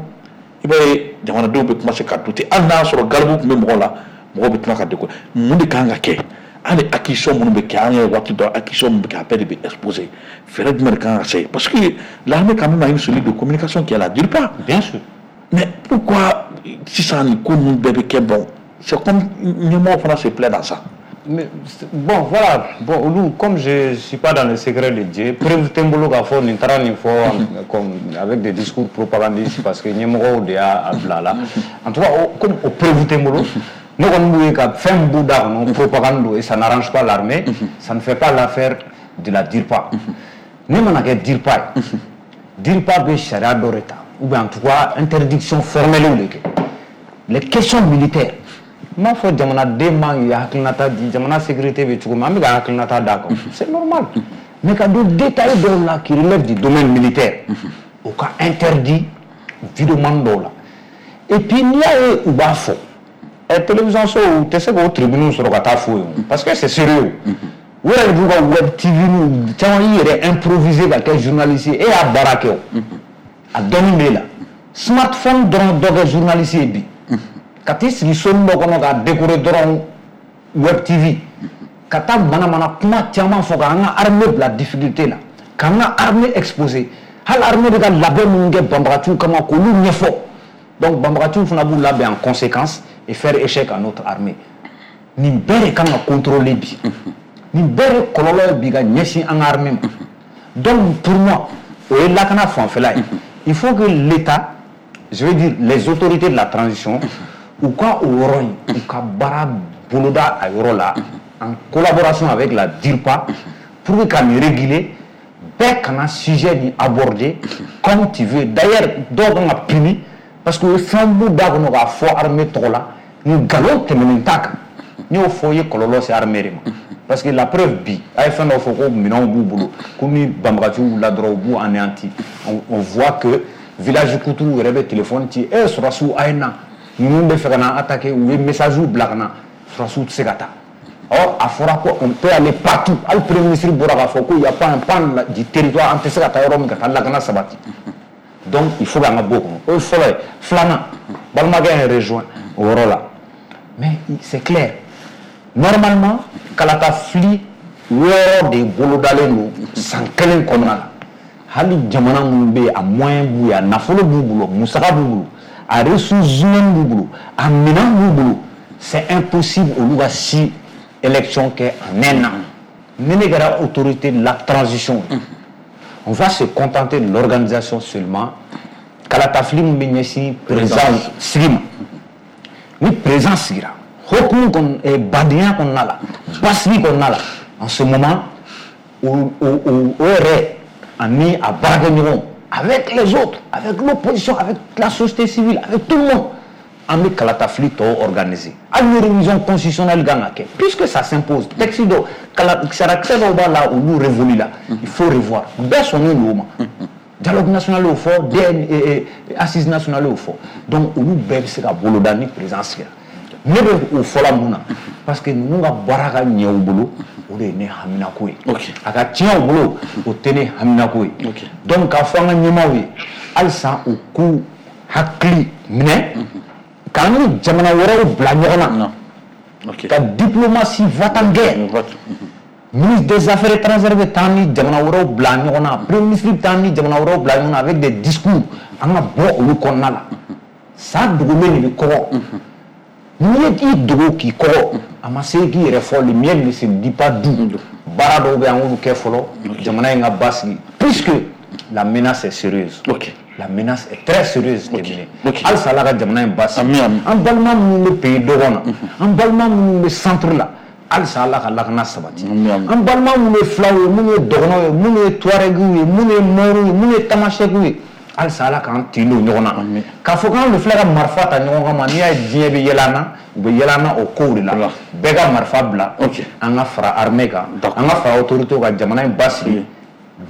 i b'a ye jamanadenw bɛ commencer ka douter. Hali n'a y'a sɔrɔ garibu tun bɛ mɔgɔ la, mɔgɔw bɛ tila ka décoller. Mun de kan ka kɛ? Hali acquisition minnu bɛ kɛ, an ye waati dɔ acquisition min bɛ kɛ, a bɛɛ de bɛ exposer. Fɛɛrɛ jumɛn de kan ka se? Parce que l'armée quand même a une cellule de communication qui est la DIRPA. Bien sûr. Mais pourquoi sisan nin ko ninnu bɛɛ bɛ kɛ? Bon, c'est comme ɲɛmɔgɔ fana se plaît dans ça. Mais, bon, voilà. Bon, olu, comme je ne suis pas dans le secret de Dieu, preuve tɛ n bolo k'a fɔ nin taara nin fɔ comme avec des discours propagandistes, parce que ɲɛmɔgɔw de y'a bila la. En tout cas, comme o preuve tɛ n bolo, ne kɔni b'u ye ka fɛn min b'u da kɔnɔ, propagande don, et ça n'arrange pas l'armée, ça ne fait pas l'affaire de la DIRPA. Ne mana kɛ DIRPA ye, DIRPA bɛ sariya dɔ de ta, ou bien en tout cas interdiction formelle de kɛ. Les questions militaires, N m'a fɔ jamanaden man k'i hakilinata di, jamana sécurité bɛ cogo min, an bɛ ka hakilinata d'a kan, c'est normal. Mais ka don détail dɔw la qui relève du domaine militaire, o ka interdit vidéoman dɔw la. Et puis n'i y'a ye u b'a fɔ, ɛ télévision so u tɛ se k'o tribune sɔrɔ ka taa fo yen, parce que c'est sérieux. U yɛrɛ de b'u ka web T V n'u caman y'i yɛrɛ improviser ka kɛ journaliste ye, e y'a baara kɛ o, a dɔnni b'e la. Smartphone dɔrɔn dɔ kɛ journaliste ye bi, ka t'i sigi soni dɔ kɔnɔ k'a décorer dɔrɔn web T V, ka taa manamana kuma caman fɔ k'an ka armée bila difficulté la, k'an ka armée exposer, hali armée bɛ ka labɛn minnu kɛ banbagaciw kama k'olu ɲɛfɔ. Donc banbagaciw fana b'u labɛn en conséquence et faire échec à notre armée. Nin bɛɛ de kan ka contrôler bi, nin bɛɛ de kɔlɔlɔ ye bi ka ɲɛsin an ka armée ma. Donc pour moi, o ye lakana fanfɛla ye. Il faut que l'État, je veux dire les autorités de la transition, u ka o yɔrɔ in, u ka baara boloda a yɔrɔ la en collaboration avec la DIRPA pour que ka nin réguler, bɛɛ kana sujet nin aborder comme tu veux. D'ailleurs dɔw kan ka puni parce que o ye fɛn b'u da kɔnɔ k'a fɔ armée tɔgɔ la, ni nkalon tɛmɛnen t'a kan. N'i y'o fɔ, i ye kɔlɔlɔ se armée de ma. Parce que la preuve bi, a ye fɛn dɔ fɔ ko minɛnw b'u bolo, ko ni banbagaciw wulila dɔrɔn u b'u anéanti. On, on voit que village kutuw yɛrɛ bɛ téléphone ci, e sɔrɔdasiw a ye na, ninnu bɛ fɛ ka na attaquer, u ye message bila ka na, sɔrɔdasiw tɛ se ka taa. Or a fɔra ko on peut aller partout, hali premier ministre bɔra k'a fɔ ko il y a pas un pan du territoire an tɛ se ka taa yɔrɔ min ka taa lakana sabati. Donc il faut k'an ka bɔ o kɔnɔ. O ye fɔlɔ ye. Filanan, balimakɛ ye rejoint o yɔrɔ la, mais c'est clair, normalement kalata fili wɔɔrɔ de bolodalen don san kelen kɔnɔna la. Hali jamana minnu bɛ yen, a moyen b'u ye, a nafolo b'u bolo, musaka b'u bolo, a ressources humaines b'u bolo, a minɛn b'u bolo, c'est impossible olu ka si élection kɛ en un an. Ni ne kɛra autorité de la transition, on va se contenter de l'organisation seulement. Kalata fili min bɛ ɲɛsin président sigi ma, ni président sigira hokumu kɔnɔ, badenya kɔnɔna la, basigi kɔnɔna la, en ce moment o o o yɛrɛ ani a baarakɛɲɔgɔnw, avec les autres, avec l'opposition, avec la société civile, avec tout le monde, an bɛ kalata fili tɔw organiser. Hali ni révision constitutionnelle kan ka kɛ, puisque ça s'impose, texte dɔw kala sarakisɛ dɔw b'a la, olu révolu la, il faut revoir. Bɛɛ sɔnnen don o ma. Dialogue national y'o fɔ, D N assise nationale y'o fɔ. Donc olu bɛɛ bɛ se ka boloda ni président sigira. Ne bɛ o fɔla mun na? Parce que ninnu ka baara ka ɲɛ u bolo, o de ye ne haminako ye. A ka tiɲɛ u bolo, o tɛ ne haminako ye. Donc k'a fɔ an ka ɲɛmaaw ye halisa u k'u hakili minɛ k'an ni jamana wɛrɛw bila ɲɔgɔn na, ka diplomatie va-t-en-guerre. Ministre des Affaires étrangères bɛ taa ni jamana wɛrɛw bila ɲɔgɔn na, premier ministre bɛ taa ni jamana wɛrɛw bila ɲɔgɔn na avec des discours, an ka bɔ olu kɔnɔna la. Sa dogolen de bɛ kɔgɔ. N'i ye i dogo k'i kɔgɔ, a ma se k'i yɛrɛ fɔ, le miel ne se dit pas doux. Baara dɔw bɛ yen, an k'olu kɛ fɔlɔ, jamana in ka basigi, puisque la menace est sérieuse. Ok. La menace est très sérieuse. Ok. Ok. Halisa Ala ka jamana in basigi. Ami, ami. An balima minnu bɛ pays dɔgɔn na, an balima minnu bɛ centre la, halisa Ala ka lakana sabati. Ami, ami. An balima minnu ye filaw ye, minnu ye dɔgɔnɔw ye, minnu ye tuarɛgiw ye, minnu ye mɔriw ye, minnu ye tamasɛkiw ye, halisa Ala k'an tin don ɲɔgɔn na. Ami. K'a fɔ k'an de filɛ ka marifa ta ɲɔgɔn kama, n'i y'a ye diɲɛ bɛ yɛlɛ an na, u bɛ yɛlɛ an na o kow de la. Voilà. Bɛɛ ka marifa bila. Ok. An ka fara armée kan, D'accord. an ka fara autorité kan, jamana in basigi.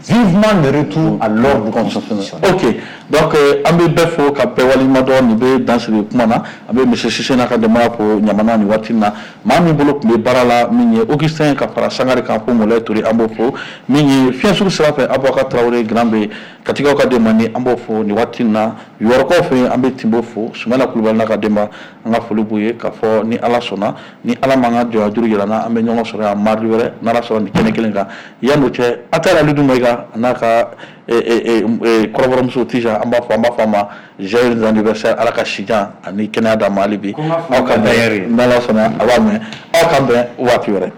Vivement le retour à l'ordre constitutionnel. Ok, donc euh, an bɛ bɛɛ fo ka bɛɛ waleɲuman dɔn. Nin bɛ dan sigi kuma na. An bɛ monsieur Sise n'a ka denbaya fo Ɲamana nin waati in na. Maa min bolo tun bɛ baara la, min ye Augustin ka fara Sangare kan fo Mɔlɛ Ture, an b'o fo. Min ye fiɲɛsugu sira fɛ, Abubakar Tarawele Grand bɛ Katigaw ka denba ni, an b'o fo nin waati in na. Yɔrɔkaw fɛ yen, an bɛ Tinbo fo, Sumala Kulubali n'a ka denba, an ka foli b'u ye. K'a fɔ ni Ala sɔnna, ni Ala m'an ka jɔnya juru yira n na, an bɛ ɲɔgɔn sɔrɔ yan mardi wɛrɛ n'Ala sɔnna nin kɛnɛ kelen kan. Yan'o cɛ, Atala Alidu Mayiga a n'a ka kɔrɔbɔrɔmuso Tija, an b'a fɔ an b'a fɔ a ma joyeux anniversaire. Ala ka si jan ani kɛnɛya d'a ma hali bi. Ko n ka foli Aw ka ka bɛn d'ailleurs ye. N'Ala sɔnna a b'a mɛn. Aw k'an bɛn waati wɛrɛ.